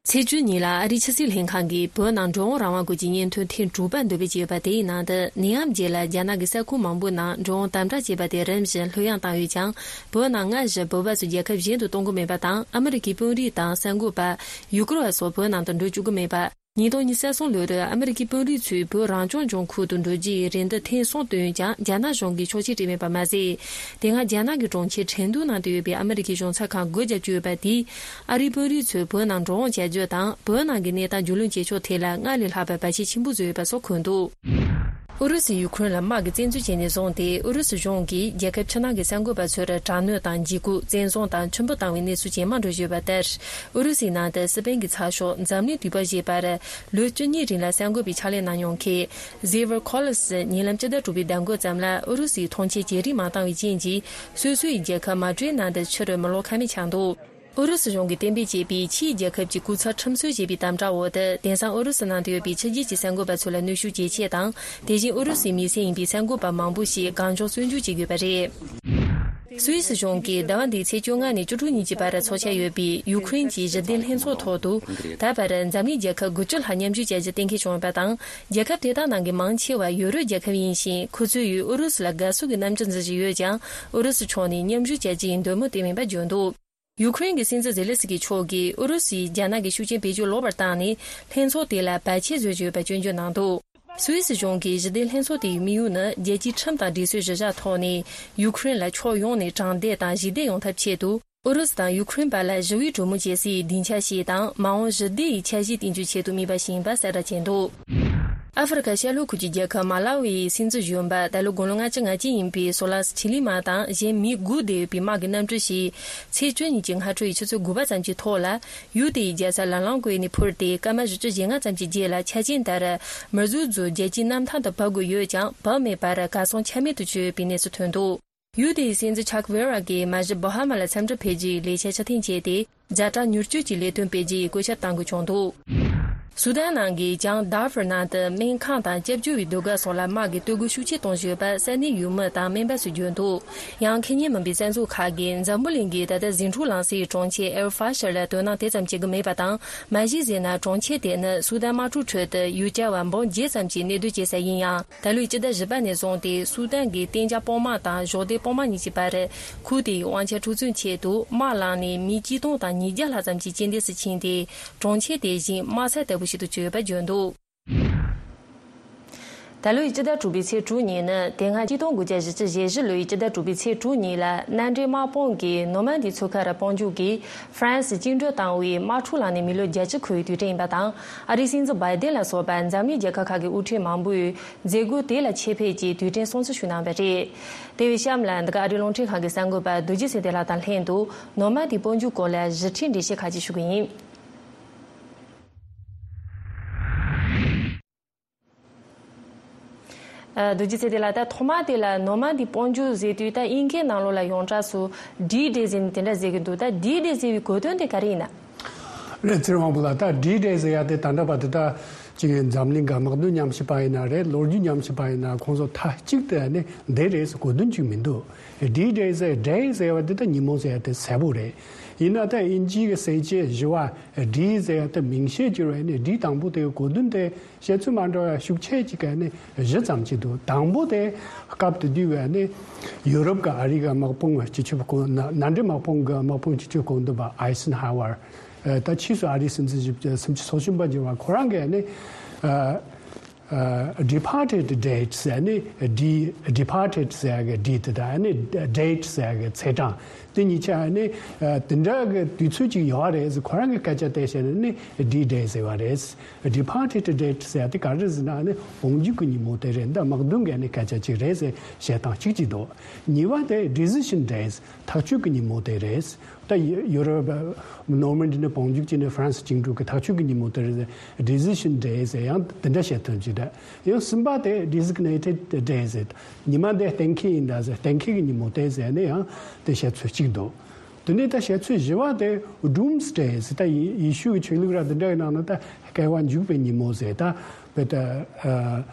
ཚེས་བཅུ་ཉིན་ལ་ཨ་རིའི་ཕྱི་སྲིད་ལྷན་ཁང་གིས་བོད་ནང་འགྲོ་འོང་རང་དབང་སྐོར་གྱི་སྙན་ཐོ་ཐེངས་དྲུག་པ་འདོན་སྤེལ་བྱས་ཡོད་པ། དེའི་ནང་དུ་ནད་ཡམས་རྗེས་ལ་རྒྱ་ནག་གི་ས་ཁུལ་མང་པོའི་ནང་འགྲོ་འོང་དམ་དྲག་བྱས་པ་དེ་རིམ་བཞིན་ལྷོད་ཡངས་བཏང་ཡོད་ཀྱང་། བོད་ནང་སྔ་བཞིན་བོད་པ་ཚོ་རྒྱལ་ཁབ་གཞན་དུ་གཏོང་གི་མེད་པ་དང་། ཨ་མི་རི་ཀའི་དཔོན་རིགས་དང་གསར་འགོད་པ། ཡུ་གུར་བ་སོགས་བོད་ནང་དུ་འགྲོ་བཅུག་གི་མེད་པ། ཉིས་སྟོང་ཉི་ཤུ་རྩ་གསུམ་ལོར་ཨ་མི་རི་ཀའི་དཔོན་རིགས་ཚོས་བོད་རང་སྐྱོང་ལྗོངས་ཁུལ་དུ་འགྲོ་རྒྱུའི་རེ་འདུན་ཐེངས་གསུམ་བཏོན་ཀྱང་། རྒྱ་ནག་གཞུང་གིས་ཕྱོགས་ཆས་སྤྲད་མེད་པ་མ་ཟད། དེ་སྔ་རྒྱ་ནག་གི་གྲོང་ཁྱེར་ཁྲེང་ཏུའུ་ནང་དུ་ཡོད་པའི་ཨ་མི་རི་ཀའི་གཞུང་ཚབ་ཁང་སྒོ་བརྒྱབ་བཅུག་ཡོད་པ་དེས། ཨ་རིའི་དཔོན་རིགས་ཚོས་བོད་ནང་འགྲོ་འོང་བྱ་རྒྱུ་དང་། བོད་ནང་གི་གནས་སྟངས་རྒྱུས་ལོན་བྱེད་ཕྱོགས་ཐད་ལ་སྔར་ལས་ལྷག་པའི་བར་ཆད་ཆེན་པོ་བཟོས་ཡོད་པ་སོགས་འཁོད་འདུག་ཨུ་རུ་སུས་ཡུ་ཁུ་རེན་ལ་དམག་གི་བཙན་འཛུལ་བྱས་ནས་བཟུང་སྟེ། ཨུ་རུ་སུ་གཞུང་གིས་རྒྱལ་ཁབ་ཕྱི་ནང་གི་གསར་འགོད་པ་ཚོར་དྲག་གནོན་དང་། འཇིགས་སྐུལ། བཙན་བཟུང་དང་། ཁྲིམས་སྐྱོང་བཏང་བའི་གནས་ཚུལ་ཇེ་མང་འགྲོ་བཞིན་ཡོད་པ་ལྟར། ཨུ་རུ་སུའི་ནང་དུ་སི་པན་གྱི་ཚགས་ཤོག་འཛམ་གླིང་དུས་བབ་ཞེས་པར་ལོ་བཅུ་གཉིས་རིང་ལ་གསར་འགོད་པའི་ཕྱག་ལས་གནང་མྱོང་མཁན་Xavier Collins ཉེ་ལམ་སྤྱི་ཟླ་དྲུག་པའི་ཟླ་འགོ་ཙམ་ལ་ཨུ་རུ་སུའི་ཐོངས་མཆན་བརྗེ་རེས་མ་བཏང་བའི་རྐྱེན་གྱིས། སོ་སོའི་རྒྱལ་ཁབ་མ་ཌི་རིད་ནང་དུ་ཕྱིར་མི་ལོག་ཁ་མེད་ཆགས་འདུག་ཨུ་རུ་སུ་གཞུང་གིས་གཏན་འབེབས་བྱས་པའི་ཕྱིའི་རྒྱལ་ཁབ་ཀྱི་སྐུ་ཚབ་ཁྲིམས་སྲོལ་ཞེས་པའི་དམ་དྲག་འོག་ཏུ། དེང་སང་ཨུ་རུ་སུ་ནང་དུ་ཡོད་པའི་ཕྱི་རྒྱལ་གྱི་གསར་འགོད་པ་ཚོ་ལ་གནོན་ཤུགས་ཇེ་ཆེ་དང་། དེ་བཞིན་ཨུ་རུ་སུའི་མི་སེར་ཡིན་པའི་གསར་འགོད་པ་མང་པོ་ཞིག་གང་བྱུང་བཙོན་འཇུག་བྱེད་དགོས་པ་རེད། སུད་སི་གཞུང་གིས་ཟླ་བ་འདིའི་ཚེས་བཅོ་ལྔ་ནས་བཅུ་དྲུག་ཉིན་གྱི་བར་ཚོགས་འཆར་ཡོད་པའི་ཡུ་ཁུ་རེན་གྱི་ཞི་བདེ་ལྷན་ཚོགས་ཐོག་ཏུ། ད་བར་འཛམ་གླིང་རྒྱལ་ཁབ་དགུ་བཅུ་ལྷག་མཉམ་ཞུགས་བྱ་རྒྱུ་གཏན་འཁེལ་བྱུང་ཡོད་པ་དང་། རྒྱལ་ཁབ་དེ་དག་ནང་གི་མང་ཆེ་བ་ཡུ་རོབ་རྒྱལ་ཁབ་ཡིན་ཞིང་། ཁོ་ཚོས་ཨུ་རུ་སུ་ལ་དགའ་བསུ་གི་རྣམ་འགྱུར་འཛིན་བཞིན་ཡོད་ཀྱང་། ཨུ་རུ་སུ་ཕྱོགས་ནས་མཉམ་ཞུགས་བྱ་རྒྱུའི་འདོད་མོས་བསྟན་མེད་པ་བརྗོད་འདུག་ཡུ་ཁུ་རེན་གྱི་སྲིད་འཛིན་ཛེ་ལེ་སི་ཀི་མཆོག་གིས་ཨུ་རུ་སུས་རྒྱ་ནག་གི་ཤུགས་རྐྱེན་བེད་སྤྱོད་ལོག་པར་བཏང་ནས། ལྷན་ཚོགས་དེ་ལ་བར་ཆད་བཟོ་བཞིན་ཡོད་པ་སྐྱོན་བརྗོད་གནང་འདུག་སུད་སི་གཞུང་གིས་ཞི་བདེ་ལྷན་ཚོགས་དེའི་དམིགས་ཡུལ་ནི། རྒྱལ་སྤྱིའི་ཁྲིམས་དང་སྒྲིག་སྲོལ་གཞི་བཞག་ཐོག་ནས། ཡུ་ཁུ་རེན་ལ་ཕྱོགས་ཡོངས་ནས་དྲང་བདེན་དང་ཞི་བདེ་ཡོང་ཐབས་ཆེད་དུ། ཨུ་རུ་སུ་དང་ཡུ་ཁུ་རེན་བར་ལ་ཞི་བའི་གྲོས་མོལ་བྱེད་སའི་སྡིངས་ཆ་ཞིག་དང་། མ་འོངས་ཞི་བདེ་ཡི་འཆར་གཞི་བཏིང་རྒྱུའི་ཆེད་དུ་དམིགས་པ་ཞིག་ཡིན་པ་གསལ་བསྒྲགས་བྱས་འདུག་ཨ་ཧྥེ་རི་ཁ་ཤར་ལྷོ་ཁུལ་གྱི་རྒྱལ་ཁབ་མ་ལ་ཝི་ཡི་སྲིད་འཛིན་གཞོན་པ། ད་ལོ་དགུང་ལོ་ལྔ་བཅུ་ང་གཅིག་ཡིན་པའི་སོ་ལ་སི་ཆི་ལི་མ་དང་། གཞན་མི་དགུ་བསྡད་ཡོད་པའི་དམག་གི་གནམ་གྲུ་ཞིག་ཚེས་བཅུ་གཉིས་ཀྱི་སྔ་དྲོ་ཡི་ཆུ་ཚོད་དགུ་པ་ཙམ་གྱི་ཐོག་ལ། ཡུལ་དེའི་རྒྱལ་ས་ལ་ལང་ཀོའི་ནས་འཕུར་ཏེ། སྐར་མ་བཞི་བཅུ་ཞེ་ལྔ་ཙམ་གྱི་རྗེས་ལ། ཆ་རྐྱེན་ལྟར་མིར་ཛུ་ཛུ་རྒྱལ་སྤྱིའི་གནམ་ཐང་དུ་བབས་དགོས་ཡོད་ཀྱང་། བབས་མེད་པར་གར་སོང་ཆ་མེད་དུ་གྱུར་ཡོད་པའི་གནས་ཚུལ་ཐོན་འདུག་ཡུལ་དེའི་སྲིད་འཛིན་ཆག་ཝེ་ར་གིས་མ་གཞི་བྷ་ཧ་མ་ལ་འཚམས་འདྲི་ཕེབས་རྒྱུའི་ལས་འཆར་ཕྱིར་འཐེན་བྱས་ཏེ། ཛ་དྲག་མྱུར་སྐྱོབ་ཀྱི་ལས་དོན་སྤེལ་རྒྱུའི་བཀོད་ཁྱབ་གཏང་དགོས་བྱུང་འདུག་སུ་དན་ནང་གི་བྱང་དཱ་ཧྥུར་ནང་དུ་སྨན་ཁང་དང་སྐྱབས་བཅོལ་བའི་སྡོད་སྒར་སོགས་ལ་དམག་གིས་གཏོར་རྒོལ་ཤུགས་ཆེ་གཏོང་བཞིན་ཡོད་པ་ས་གནས་ཡུལ་མི་དང་སྨན་པ་ཚོས་བརྗོད་འདུག་ཡང་། ཁེ་ཉན་མིན་པའི་བཙན་བཟུང་ཁག་གིས་འཛམ་བུ་གླིང་གི་ད་ལྟ་ཟིང་འཁྲུག་ལངས་སའི་གྲོང་ཁྱེར་ཨེལ་ཧྥ་ཤར་ལ་དོ་སྣང་དེ་ཙམ་བྱེད་ཀྱི་མེད་པ་དང་། མ་གཞི་ཟེར་ན། གྲོང་ཁྱེར་དེ་ནི་སུ་དན་དམག་འཁྲུག་ཁྲོད་དུ་ཡུལ་གྱར་བ་འབུམ་བརྒྱད་ཙམ་གྱི་གནས་སྡོད་བྱེད་ས་ཡིན་ཡང་། ད་ལོའི་སྤྱི་ཟླ་བཞི་པ་ནས་བཟུང་སྟེ། སུ་དན་གྱི་གཏན་འཇགས་དཔུང་དམག་དང་གཞོགས་འདེགས་དཔུང་དམག་གཉིས་ཀྱི་བར། ཁུལ་དེའི་དབང་ཆ་འཁྲུག་རྩོད་ཆེད་དུ་དམག་ལངས་ནས། མི་གཅིག་སྟོང་དང་ཉིས་བརྒྱ་ལྷག་ཙམ་གྱི་རྐྱེན་འདས་སུ་ཕྱིན་ཏེ། གྲོང་ཁྱེར་དེ་བཞིན་དམག་ས་ལྟ་བུ་ཞིག་ཏུ་གྱུར་ཡོད་པ་བརྗོད་འདུག་ད་ལོའི་སྤྱི་ཟླ་དྲུག་པའི་ཚེས་དྲུག་ཉིན་ནི། དེ་སྔ་ཆིག་སྟོང་དགུ་བརྒྱ་བཞི་བཅུ་ཞེ་བཞི་ལོའི་སྤྱི་ཟླ་དྲུག་པའི་ཚེས་དྲུག་ཉིན་ལ། མནའ་འབྲེལ་དམག་དཔུང་གིས་ནོར་མན་དི་མཚོ་ཁ་རུ་དཔུང་འཇུག་གིས་ཧྥ་རན་སི་བཅིངས་འགྲོལ་བཏང་བའི་དམག་འཁྲུག་ལངས་ནས་མི་ལོ་བརྒྱད་ཅུ་འཁོར་བའི་དུས་དྲན་ཡིན་པ་དང་། ཨ་རིའི་སྲིད་འཛིན་བྷའི་ཏན་ལ་སོགས་པ་འཛམ་གླིང་རྒྱལ་ཁབ་ཁག་གི་དབུ་ཁྲིད་མང་པོས་མཛད་སྒོ་དེ་ལ་ཆེད་ཕེབས་ཀྱིས་དུས་དྲན་སྲུང་བརྩི་ཞུས་གནང་བ་རེད། དེ་བས་གཤམ་ལ་འདི་ག་ཨ་རིའི་རླུང་འཕྲིན་ཁང་གི་གསར་འགོད་པ་རྡོ་རྗེ་ཚེ་བརྟན་ལགས་དང་ལྷན་དུ། ནོར་མན་དི་དཔུང་འཇུག་སྐོར་ལ་ཞིབ་ཕྲའི་འགྲེལ་བཤད་ཁག་ཅིག་ཞུ་གི་ཡིན། ཨ། རྡོ་རྗེ་ཚེ་བརྟན་ལགས། ད་ཐོག་མ་དེ་ལ་ནོར་མན་དི་དཔུང་འཇུག་ཟེར་དུས། ད་དབྱིན་སྐད་ནང་ལོགས་ལ་ཡོངས་གྲགས་སུ་ཌི་ཌེ་ཟེར་ནས་དེ་འདྲ་ཟེར་གྱི་འདུག་ད་ཌི་ཌེ་ཟེར་བའི་གོ་དོན་དེ་ག་རེ་ཡིན་ན། རེད། ཚེ་རིང་དབང་པོ་ལགས། ད་ཌི་ཌེ་ཟེར་ཡ་དེ་ད་ལྟ་བར་དུ། ད་ཅིག་འཛམ་གླིང་གི་དམག་དོན་ཉམས་ཞིབ་པ་ཡིན་ན་རེད། ལོ་རྒྱུས་ཉམས་ཞིབ་པ་ཡིན་ན། ཁོང་ཚོ་མཐའ་གཅིག་ཏུ་ནི་འདི་རེད་ཟེར་གོ་དོན་ཅིག་མི་འདུག་ཌི་ཌེ་ཟེར། ཌེ་ཟེར་བ་འདི་ད་ཉིན་མོ་ཟེར་ཡ་དེ་གསལ་པོ་རེད། ཡིན་ན་ད་དབྱིན་ཇིའི་གི་གསལ་བྱེད་བཞི་བ་ཌི་ཟེར་ཡ་དེ་མིང་བཤད་ཀྱི་རེད། ནི་ཌི་དང་པོ་དེའི་གོ་དོན་དེ། བཤད་ཚུལ་མ་འདྲ་བ་ཤུགས་ཆེ་ཅིག་ག་ནས་བཞི་ཙམ་ཅིག་འདུག་དང་པོ་དེ་སྐབས་དེ་དུས་བས་ནི་ཡུ་རོབ་ཀྱི་ཨ་རི་གི་དམག་དཔུང་སྤྱི་ཁྱབ་གོ། མནའ་མནའ་འབྲེལ་དམག་དཔུང་གི་དམག་དཔུང་སྤྱི་ཁྱབ་གོ་འདུན་པ་ཨའི་སན་ཧ་ཝར། ད་ཕྱིས་སུ་ཨ་རིའི་སྲིད་འཛིན་བཞི་བཅུ། སུམ་ཅུ་སོ་གསུམ་པ་གྱུར་བ་ཁོ་རང་གིས་ནི། ཨ། ཨ། ཌི་པོར་ཊེཌ་ཌེ་ཊི་ཟེར་ནི། ཌི། ཌི་པོར་ཊེཌ་ཟེར་གི་ཌི་དེ་དང་ནི་ཌེ་ཊི་ཟེར་གི་ཚེས་གྲངས། དེ་གཉིས་ཆ་ནི། ཨ། དེ་འདྲ་གི་དུས་ཚོད་ཅིག་ཡོད་རེད་ཟེར། ཁོ་རང་གི་སྐད་ཆ་དེ་བཤད་ནས་ནི་ཌི་ཌེ་ཟེར་བ་རེད། ཌི་པོར་ཊེཌ་ཌེ་ཊི་ཟེར་དེ་ག་རེ་ཟེར་ན་ནི་དཔུང་འཇུག་གི་ཉིན་མོ་དེ་རེད། འདི་དམག་དོན་གི་ནི་སྐད་ཆ་ཅིག་རེད་ཟེར་བཤད་སྟངས་གཅིག་ཅིག་འདུག་གཉིས་པ་དེ་ཌི་སི་ཤན་ཌེ་ཊི། ཐག་གཅོད་ཀྱི་ཉིན་མོ་དེ་རེད། ད་ཡུ་ཡུ་རོབ་ནོར་མན་ཌི་ནས་དཔུང་འཇུག་བྱས་ནས་ཧྥ་རན་སི་བཅིངས་འགྲོལ་གྱི་ཐག་གཅོད་ཀྱི་ཉིན་མོ་དེ་རེད། ཌི་སི་ཤན་ཌེ་ཊི་ཟེར་ཡང་དེ་འདྲ་བཤད་ཐུབ་ཀྱི་རེད། ཡང་གསུམ་པ་དེ་ཌི་སི་གི་ནེ་ཊེཌ་ཌེ་ཊི་ཟེར། ཉི་མ་འདི་གཏན་འཁེལ་ཡིན་ད་ཟེར། གཏན་འཁེལ་གྱི་ཉིན་མོ་དེ་ཟེར་ནས་ཡང་དེ་བཤད་ཚུལ་གཅིག་འདུག་དེ་ནས་ད་བཤད་ཚུལ་བཞི་བ་དེ་ཌུམ་སི་ཌེ་ཊི་ཟེར། ད་ཡེ་ཡེ་ཤུ་གི་ཆོས་ལུགས་ར་དེ་འདྲ་གི་ནང་ན་ད་བསྐལ་པ་འཇིག་པའི་ཉིན་མོ་ཟེར། ད་བོད་ད་ཨ།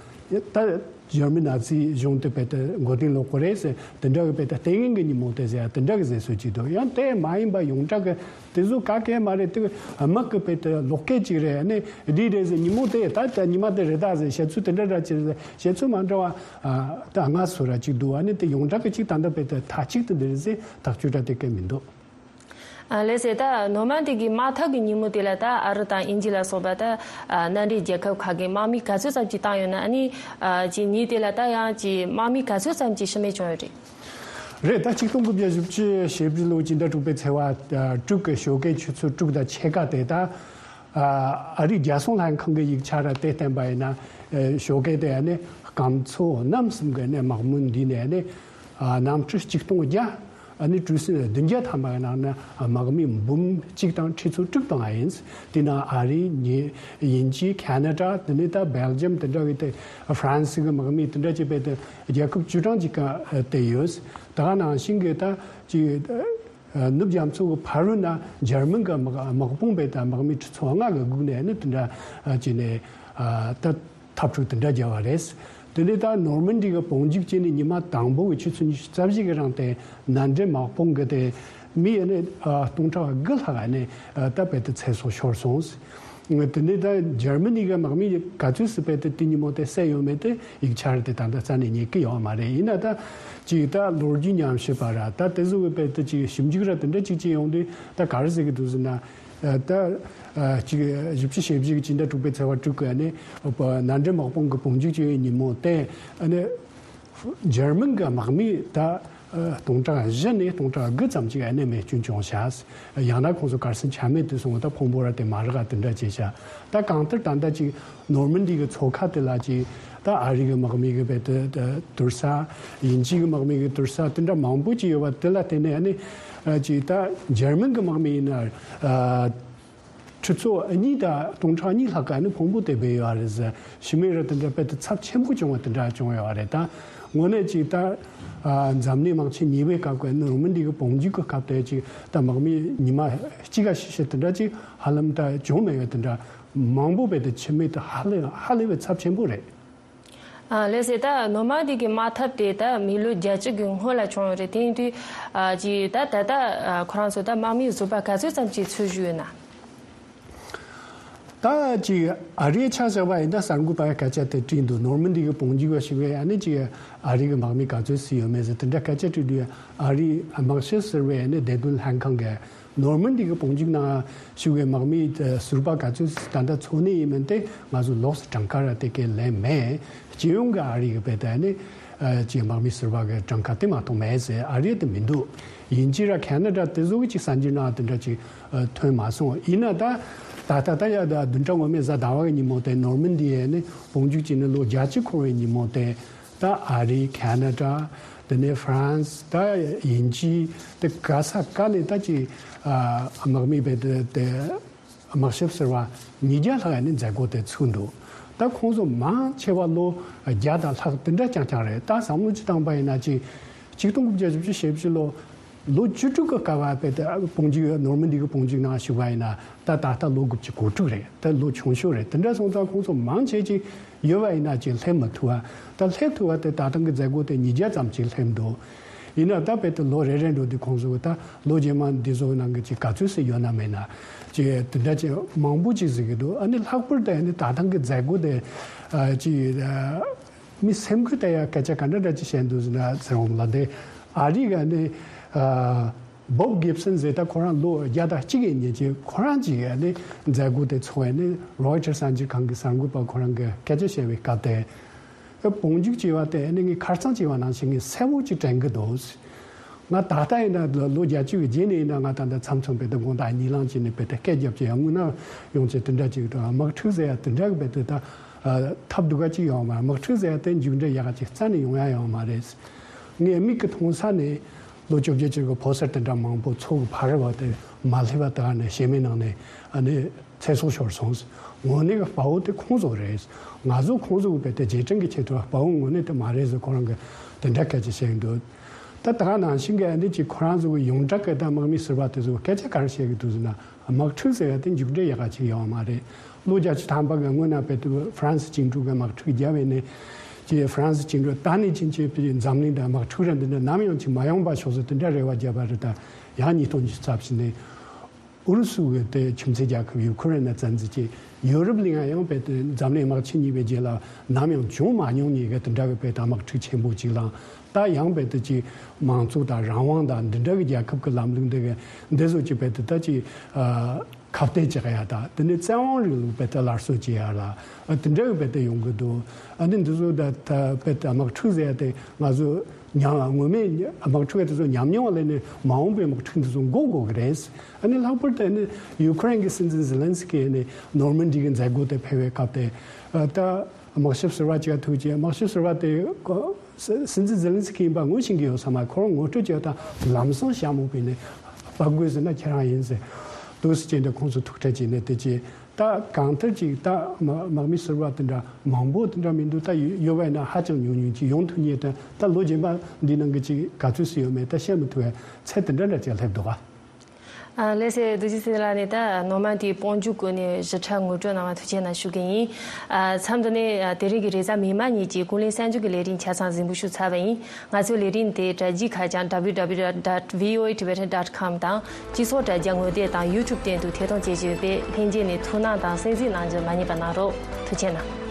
ད་འཇར་མན་ནཱ་ཛི་གཞུང་དེ་བོད་ད་མགོ་རྟིང་སློག་གི་རེད་ཟེར། དེ་འདྲ་གི་བོད་ད་ལྟས་ངན་གྱི་ཉིན་མོ་དེ་ཟེར་ཡ་དེ་འདྲ་གི་ཟེར་སྲོལ་ཅིག་འདུག་ཡང་དེ་མ་ཡིན་པ་ཡོངས་གྲགས་གི་དེ་ཚོ་ག་གེ་མ་རེད། དེ་དམག་གི་བོད་ད་ལོག་སྐད་ཅིག་རེད། ཨ་ནི་འདི་རེད་ཟེར། ཉིན་མོ་དེ་ད་ད་ཉི་མ་དེ་རེད་ད་ཟེར། བཤད་ཚུལ་དེ་འདྲ་འདྲ་ཅིག་རེད་ཟེར། བཤད་ཚུལ་མ་འདྲ་བ་ཨ་ད་ལྔ་སོ་ར་ཅིག་འདུག་ཨ་ནི་དེ་ཡོངས་གྲགས་གི་ཅིག་ད་ལྟ་བོད་ད་མཐའ་གཅིག་ཏུ་འདི་རེད་ཟེར་ཐག་གཅོད་འདྲ་དེ་ག་མི་འདུག་ཨ། ལགས་སེ། ད་ནོར་མན་དི་གི་དམག་འཐབ་ཀྱི་ཉིན་མོ་དེ་ལ་ད་ཨ་རི་དང་དབྱིན་ཇི་ལ་སོགས་པ་ད་ཨ་མནའ་འབྲེལ་རྒྱལ་ཁབ་ཁག་གི་དམག་མི་ག་ཚོད་ཙམ་ཅིག་བཏང་ཡོད་ན། ཨ་ནི་ཨ་ཅིག་ཉིན་དེ་ལ་ད་ཡང་ཅིག་དམག་མི་ག་ཚོད་ཙམ་ཅིག་ཤི་རྨས་བྱུང་ཡོད་རེད། རེད། ད་ཆིག་སྟོང་དགུ་བརྒྱ་བཞི་བཅུ་ཞེ་བཞི་ལོའི་སྤྱི་ཟླ་དྲུག་པའི་ཚེས་པ་ཨ་དྲུག་གི་ཞོགས་ཀའི་ཆུ་ཚོད་དྲུག་དང་ཕྱེད་ཀ་དེ། ད་ཨ་ཨ་རིའི་རྒྱལ་སྲུང་ལྷན་ཁང་གི་ཡིག་ཆ་ར་དེ་བསྟན་པ་ཡིན་ན། ཨ་ཞོགས་ཀའི་དེ་ཨ་ནི་སྐམ་མཚོ་གནམ་གསུམ་གི་ཨ་ནི་དམག་མི་འདུས་ནས། ཨ་ནི་ཨ་གནམ་གྲུ་ཆིག་སྟོང་བརྒྱ། ཨ་ནི་གྲུ་གཟིངས་བདུན་བརྒྱ་ཐམ་པ་ཡི་ནང་ན་དམག་མི་འབུམ་གཅིག་དང་ཁྲི་ཚོ་དྲུག་བཏང་བ་ཡིན། དེ་ནང་ཨ་རི། ཉི་དབྱིན་ཇི། ཁ་ན་ཌ། དེ་ནས་ད་སྦེལ་ཇམ་དེ་འདྲ་གི་དེ། ཧྥ་རན་སི་གི་དམག་མི་དེ་འདྲ་ཅིག་བས་དེ་རྒྱལ་ཁབ་བཅུ་གྲངས་ཅིག་ག་དེ་ཡོད། ད་ག་ནང་བཞིན་གི་ད་ཅིག་ནུབ་རྒྱ་མཚོ་གི་ཕ་རོལ་ན་འཇར་མན་གི་དམག་དམག་དཔུང་བས་ད་དམག་མི་ཁྲི་ཚོ་ལྔ་གི་སྒུག་ནས་ནི་དེ་འདྲ་ཅིག་ནས་ད། འཐབ་འཁྲུག་དེ་འདྲ་བརྒྱབ་པ་རེད། དེ་ནས་ད་ནོར་མན་ཌི་གི་བོད་འཇུག་བྱས་ནས་ཉི་མ་དང་པོ་གི་ཆུ་ཚོད་ཉི་ཤུ་རྩ་བཞི་གི་རིང་དེ་མནའ་འབྲེལ་དམག་དཔུང་གི་དེ་མི་ཡ་ནས་སྟོང་ཕྲག་དགུ་ལྷག་ནས་ད་བོད་དུ་ཚེ་སྲོག་ཤོར་སོང་། དེ་ནས་ད་འཇར་མ་ནི་གི་དམག་མི་ག་ཚོད་སུ་བོད་དུ་དེ་ཉིན་མོ་དེ་བསད་ཡོད་མེད་དེ་ཡིག་ཆ་རེ་དེ་ད་ལྟ་རྩ་ནས་རྙེད་ཀྱི་ཡོད་མ་རེད། ཡིན་ན་ད་ཅིག་ད་ལོ་རྒྱུས་ཉམས་ཞིབ་པ་ར་ད་དེ་ཚོ་གི་བོད་དུ་ཅིག་ཞིབ་འཇུག་ར་དེ་འདྲ་ཅིག་བྱས་ཡོང་དུས་ད་ག་རེ་ཟེར་གི་འདུག་ཟེར་ན། ད་ཅིག་བཞི་བཅུ་ཞེ་བཞི་གི་སྤྱི་ཟླ་དྲུག་པའི་ཚེས་པ་དྲུག་གི་ནས་མནའ་འབྲེལ་དམག་དཔུང་གི་བོད་འཇུག་བྱས་པའི་ཉིན་མོ་དེ་ནས་འཇར་མན་གྱི་དམག་མི་ད་སྟོང་ཕྲག་བཞི་ནས་སྟོང་ཕྲག་དགུ་ཙམ་ཅིག་ནས་རྨས་སྐྱོན་བྱུང་ཤག་ཡང་ན་ཁོང་ཚོ་གར་སོང་ཆ་མེད་དུ་སོང་བ་ད་ཕུང་པོ་ར་དེ་མ་རག་དེ་འདྲ་བྱས་ཤག་ད་གང་ལྟར་ད་ལྟ་ཅིག་ནོར་མན་ཌི་གི་མཚོ་ཁ་དེ་ལ་ཅིག་ད་ཨ་རི་གི་དམག་མི་གི་བོད་དུ་དུར་ས། དབྱིན་ཇི་གི་དམག་མི་གི་དུར་ས་དེ་འདྲ་མང་པོ་ཅིག་ཡོད་པ་དེ་ལ་བརྟེན་ནས་ནི་ཅིག་ད་འཇར་མན་གི་དམག་མི་ཡིན་ན་ཁྲི་ཚོ་གཉིས་དང་སྟོང་ཕྲག་གཉིས་ལྷག་ག་ནི་ཕུང་པོ་དེ་སྦས་ཡོད་རེད་ཟེར། ཤི་མི་ར་དེ་འདྲ་བོད་དུ་ཚབས་ཆེན་པོ་བྱུང་བ་དེ་འདྲ་བྱུང་ཡོད་རེད། ད་དངོས་གནས་ཅིག་ད་འཛམ་གླིང་དམག་ཆེན་གཉིས་པའི་སྐབས་ཀྱི་ནོར་མན་ཌི་གི་བོད་འཇུག་གི་སྐབས་དེ་ཅིག་ད་དམག་མི་ཉི་མ་གཅིག་ག་ཤི་ཤི་དེ་འདྲ་ཅིག་ཧ་ལམ་ད་བྱུང་མེད་པ་དེ་འདྲ་མང་པོ་བོད་དུ་འཆི་རྨས་དེ་ཧ་ལས་ཧ་ལས་པའི་ཚབས་ཆེན་པོ་རེད། ཨ་ལགས་སེ། ད་ནོར་མན་ཌི་གི་དམག་འཐབ་དེ་ད་མི་ལོ་བརྒྱད་ཅུ་གི་སྔོན་ལ་བྱུང་ཡོད་རེད། དེ་ཡིན་དུས་ཨ་ཅི་ད་ད་ལྟ་ཨ་ཁོ་རང་ཚོ་ད་དམག་མི་ཟུར་པ་ག་ཚོད་ཙམ་ཅིག་ཚུད་བཞུགས་ཡོད་ན། ད་ཅི་ཨ་རིའི་ཆ་བཞག་པ་ཡིན་ན་གསར་འགོད་པ་སྐད་ཆ་དེ་དྲིས་འདུག་ནོར་མན་ཌི་གི་བོད་འཇུག་པ་ཞིག་བས་ཨ་ནི་ཅི་ཨ་རི་གི་དམག་མི་ག་ཚོད་ཚུད་ཡོད་མེད་ཟེར་དེ་འདྲ་སྐད་ཆ་དྲིས་དུས་ཨ་རིའི་དམག་ཞབས་ཟུར་པས་ཨ་ནི་བདེ་དོན་ལྷན་ཁང་གི་ནོར་མན་ཌི་གི་བོད་འཇུག་ནང་ཞུགས་པའི་དམག་མི་ཟུར་པ་ག་ཚོད་ད་ལྟ་འཚོ་གནས་ཡིན་མིན་དེ་ང་ཚོ་ལོགས་སུ་གྲངས་ཀ་ར་དེ་གའི་ལན་མེད། སྤྱི་ཡོངས་ཀྱི་ཨ་རི་གི་བོད་དུ་ནི་ཅིག་དམག་མི་ཟུར་པ་གི་གྲངས་ཀ་དེ་མ་གཏོགས་མེད་ཟེར། ཨ་རི་དེ་མི་འདུག་དབྱིན་ཇི་ར་ཁེ་ན་ཌ་དེ་ཚོ་གི་ཅིག་གསར་འགྱུར་ནང་དེ་འདྲ་ཅིག་ཐོན་མ་སོང་། ཡིན་ན་ད་ད་ད་ད་ཡ་ད་བདུན་ཕྲག་སྔོན་མའི་གཟའ་ཟླ་བ་གི་ཉིན་མོ་དེ་ནོར་མན་ཌི་ཡས་ནི་བོད་འཇུག་བྱས་ནས་ལོ་བརྒྱད་ཅུ་འཁོར་བའི་ཉིན་མོ་དེ། ད་ཨ་རི། ཁེ་ན་ཌ། དེ་ནས་ཧྥ་རན་སི། ད་དབྱིན་ཇི། དེ་ག་ས་ག་ནས་ད་ཅིག་ཨ་དམག་མི་བས་དེ་དེ་དམག་ཞབས་ཟུར་པ་ཉིས་བརྒྱ་ལྷག་ནས་མཛད་སྒོ་དེ་ཚུགས་འདུག་ད་ཁོང་ཚོ་མང་ཆེ་བ་ལོ་བརྒྱ་དང་ལྷག་དེ་འདྲ་རྐྱང་རྐྱང་རེད། ད་བསམ་བློ་ཅིག་བཏང་པ་ཡིན་ན་ཅིག་ཆིག་སྟོང་དགུ་བརྒྱ་བཞི་བཅུ་ཞེ་བཞི་ལོ། ལོ་བཅུ་དྲུག་གི་སྐབས་བ་བས་ད་བོད་འཇུག་ནོར་མན་ཌི་གི་བོད་འཇུག་ནང་ཞུགས་པ་ཡིན་ན་ད་ད་ལྟ་ལོ་དགུ་བཅུ་གོ་དྲུག་རེད། ད་ལོ་ཆུང་ཤོས་རེད། དེ་འདྲ་སོང་ཙང་ཁོང་ཚོ་མང་ཆེ་ཅིག་ཡོད་པ་ཡིན་ན་ཅིག་སླེབས་མི་ཐུབ་པ། ད་སླེབས་ཐུབ་པ་དེ་ད་ཐེངས་ཀྱི་མཛད་སྒོ་དེ་ཉིས་བརྒྱ་ཙམ་ཅིག་སླེབས་འདུག་ཡིན་ན་ད་བོད་དུ་ལོ་རེ་རེ་འགྲོ་དུས་ཁོང་ཚོ་ད་ལོ་རྗེས་མ་འདི་ཚོ་ནང་གི་ཅིག་ག་ཚོད་ཟིག་ཡོད་ན་མེད་ན་ཅིག་དེ་འདྲ་ཅིག་མང་པོ་ཅིག་ཟེར་གི་འདུག་ཨ་ནི་ལྷག་པར་དུ་ཨ་ནི་ད་ཐེངས་ཀྱི་མཛད་སྒོ་དེ་ཨ་ཅིག་མི་སེམས་ཁུར་ལྟ་ཡ་སྐད་ཆ་ག་འདྲ་འདྲ་ཅིག་བཤད་འདུག་ཟེར་ན་ཟེར་འོང་ལ་དེ་ཨ་རི་ག་ནི་ཨ་བོབ་གིབ་སན་ཟེར་ད་ཁོ་རང་ལོ་བརྒྱ་དང་གཅིག་ཡིན་ཉིན་ཅིག་ཁོ་རང་ཅིག་ཨ་ནི་མཛད་སྒོ་དེ་ཚོགས་ཨ་ནི་རོའི་ཊར་གསར་འགྱུར་ཁང་གི་གསར་འགོད་པ་ཁོ་རང་གི་སྐད་ཆ་བཤད་པའི་སྐབས་དེ་ཨ་བོད་འཇུག་ཅེས་པ་དེ་ཨ་ནི་ངས་ཁ་རྩང་ཅེས་པ་ནང་བཞིན་ངས་གསལ་པོ་ཅིག་དྲན་གི་འདུག་ང་ད་ལྟ་ཡིན་ན་ལོ་བརྒྱད་ཅུ་གི་རྗེས་ནས་ཡིན་ན་ང་ད་ལྟ་མཚམས་མཚམས་བོད་དུ་དགོང་དག་གཉིད་ལམ་བྱས་ནས་བོད་དུ་སྐད་རྒྱབ་ཀྱི་ཡང་དངོས་གནས་ཡོང་ཆེད་དེ་འདྲ་ཅིག་དང་དམག་འཁྲུག་ཟེར་ཡ་དེ་འདྲ་གི་བོད་དུ་ད་ཐབས་སྡུག་ག་ཅིག་ཡོང་མ། དམག་འཁྲུག་ཟེར་ཡ་དེ་མཇུག་འབྲས་ཡག་ག་ཅིག་རྩ་ནས་ཡོང་ཡ་ཡོང་མ་རེད། ངས་མིག་གི་མཐོང་ས་ནས་ལོ་བཅོ་བརྒྱད་ཅིག་གི་ཕོ་གསར་དེ་འདྲ་མང་པོ་མཚོ་གི་ཕ་རི་བ་དེ་མ་སླེབས་པ་དག་ནས་ཞེ་མེད་ནང་ནས་ཨ་ནི་ཚེ་སྲོག་ཤོར་སོང་། དངོས་གནས་ཀྱི་དཔའ་བོ་དེ་ཁོང་ཚོ་རེད། ང་ཚོ་ཁོང་ཚོ་གི་བོད་དེ་རྗེས་དྲན་གྱི་ཆེད་དུ་དཔའ་བོ་དངོས་གནས་དེ་མ་རེད་ཟེར་ཁོ་རང་གི་དེ་འདྲ་སྐད་ཆ་བཤད་ཀྱི་འདུག་ད་ད་ག་ནང་བཞིན་གྱི་ཨ་འདི་ཅིག་ཁོ་རང་ཚོ་གི་ཡོངས་གྲགས་ཀྱི་ད་དམག་མི་ཟུར་པ་དེ་ཚོ་སྐད་ཆ་ག་རེ་བཤད་ཀྱི་འདུག་ཟེར་ན་དམག་འཁྲུག་ཟེར་བ་དེ་མཇུག་འབྲས་ཡག་ག་ཅིག་ཡོད་མ་རེད། ལོ་བརྒྱད་ཅུ་ཐམ་པ་གི་སྔོན་ན་བོད་དུ་ཧྥ་རན་སི་བཅིངས་འགྲོལ་གྱི་དམག་འཁྲུག་བརྒྱབ་པ་ནས་ཅིག་ཧྥ་རན་སི་བཅིངས་འགྲོལ་ད་ནས་ཕྱིན་ཆད་པའི་འཛམ་གླིང་དུ་དམག་འཁྲུག་ར་འདི་འདྲ་ནམ་ཡང་ཅིག་མ་ཡོང་པ་ཤོག་ཟེར་དེ་འདྲ་རེ་བ་བརྒྱབ་པ་རེད། ད་ཡང་ཉིས་སྟོང་ཉི་ཤུ་རྩ་བཞི་ནས། ཨུ་རུ་སུ་གི་དེ་ཁྱིམ་མཚེས་རྒྱལ་ཁབ་ཡུ་ཁུ་རེན་ནས་བཙན་འཛུལ་གྱིས་ཡོ་རོབ་གླིང་ང་ཡང་བོད་དེ་འཛམ་གླིང་དམག་ཆེན་གཉིས་པའི་རྗེས་ལ་ནམ་ཡང་བྱུང་མ་མྱོང་མཁན་གྱི་དེ་འདྲ་གི་བོད་དུ་དམག་འཁྲུག་ཆེན་པོ་ཅིག་ལངས། ད་ཡང་བོད་དུ་ཅིག་མང་གཙོ་དང་རང་དབང་དང་འདི་འདྲ་གི་རྒྱལ་ཁབ་ཀྱི་ལམ་ལུགས་འདི་གི་འདི་ཚོ་ཅིག་བོད་དུ་ད་ཅིག་ཨ་ཁ་གཏད་བཅག་ཡ་དང་དེ་ནས་བཙན་དབང་རིང་ལུགས་བོད་དུ་སླར་གསོ་བྱེད་ཡ་ལ་ཨ་དེ་འདྲ་གི་བོད་དུ་ཡོང་གི་འདུག་ཨ་ནི་འདི་ཚོ་ད་ད་བོད་དུ་དམག་འཁྲུག་ཟེར་ཡ་དེ་ང་ཚོ། ཉམས་ངོ་མས་དམག་འཁྲུག་དེ་ཚོ་ཉམས་མྱོང་ལས་ནས་མ་འོངས་པའི་དམག་འཁྲུག་འདི་ཚོ་འགོག་དགོས་ཀྱི་རེད། ཨ་ནི་ལྷག་པར་དུ་ཨ་ནི་ཡུ་ཁུ་རེན་གྱི་སྲིད་འཛིན་ཛེ་ལན་སི་ཀི་ནས་ནོར་མན་ཌི་གི་མཛད་སྒོ་དེ་ཕེབས་པའི་སྐབས་དེ་ད་དམག་ཞབས་ཟུར་པ་གཅིག་ཐུག་རྗེས་དམག་ཞབས་ཟུར་པ་དེ་སྲིད་འཛིན་ཛེ་ལན་སི་ཀི་ཡིན་པ་ངོ་ཤེས་ཀྱི་ཡོད་ས་མ་ཁོ་རང་ངོ་སྤྲོད་བྱས་དང་ལམ་སང་ཞྭ་མོ་བོས་ནས་ཕབ་དགོས་ཟེར་ན་ཁྱེད་རང་ཡིན་ཟེར་འདུག་སེ་བྱས་ནས་ཁོང་ཚོ་ཐུག་འཕྲད་བྱས་ནས་དེ་རྗེས། ད་གང་ལྟར་ཅིག་ད་དམག་དམག་མི་ཟུར་པ་དེ་འདྲ་མང་པོ་དེ་འདྲ་མི་འདུག་ད་ཡོད་ཡོད་པ་ཡིན་ན་ཧ་ཅང་ཉུང་ཉུང་ཅིག་ཡོང་ཐུབ་མཁན་དེ་ད་ལོ་རྗེས་མ་འདི་ནང་གི་ཅིག་ག་ཚོད་སུ་ཡོད་མེད་ད་བཤད་མི་ཐུབ་པའི་ཚད་དེ་འདྲ་འདྲ་ཅིག་སླེབས་འདུག་ག་ཨ། ལགས་སེ། རྡོ་རྗེ་སེང་གེ་ལགས་ནས་ད་ནོར་མ་དེའི་དཔལ་འབྱོར་སྐོར་ནས་ཞིབ་ཕྲ་ངོ་སྤྲོད་གནང་བ་ཐུགས་རྗེ་གནང་ཞུ་གི་ཡིན། ཨ། མཚམས་འདི་ནས་ཨ་དེ་རིང་གི་རེས་གཟའ་མིག་དམར་ཉིན་གྱི་ཀུན་གླེང་གསར་འགྱུར་གྱི་ལས་རིམ་ཆ་ཚང་གཟིགས་འབུལ་ཞུས་ཚར་བ་ཡིན། ང་ཚོའི་ལས་རིམ་དེ་དྲ་རྒྱའི་ཁ་བྱང་www dot voatibetan dot com དང་སྤྱི་ཚོགས་དྲ་རྒྱ་ངོ་དེབ་དང་YouTube སྟེང་དུ་ཐད་གཏོང་བྱེད་ཀྱི་ཡོད་པས། ལྷན་རྒྱས་ནས་ཐུགས་སྣང་དང་གསན་གཟིགས་གནང་རྒྱུ་མ་བསྙེལ་བ་གནང་རོགས། ཐུགས་རྗེ་གནང་།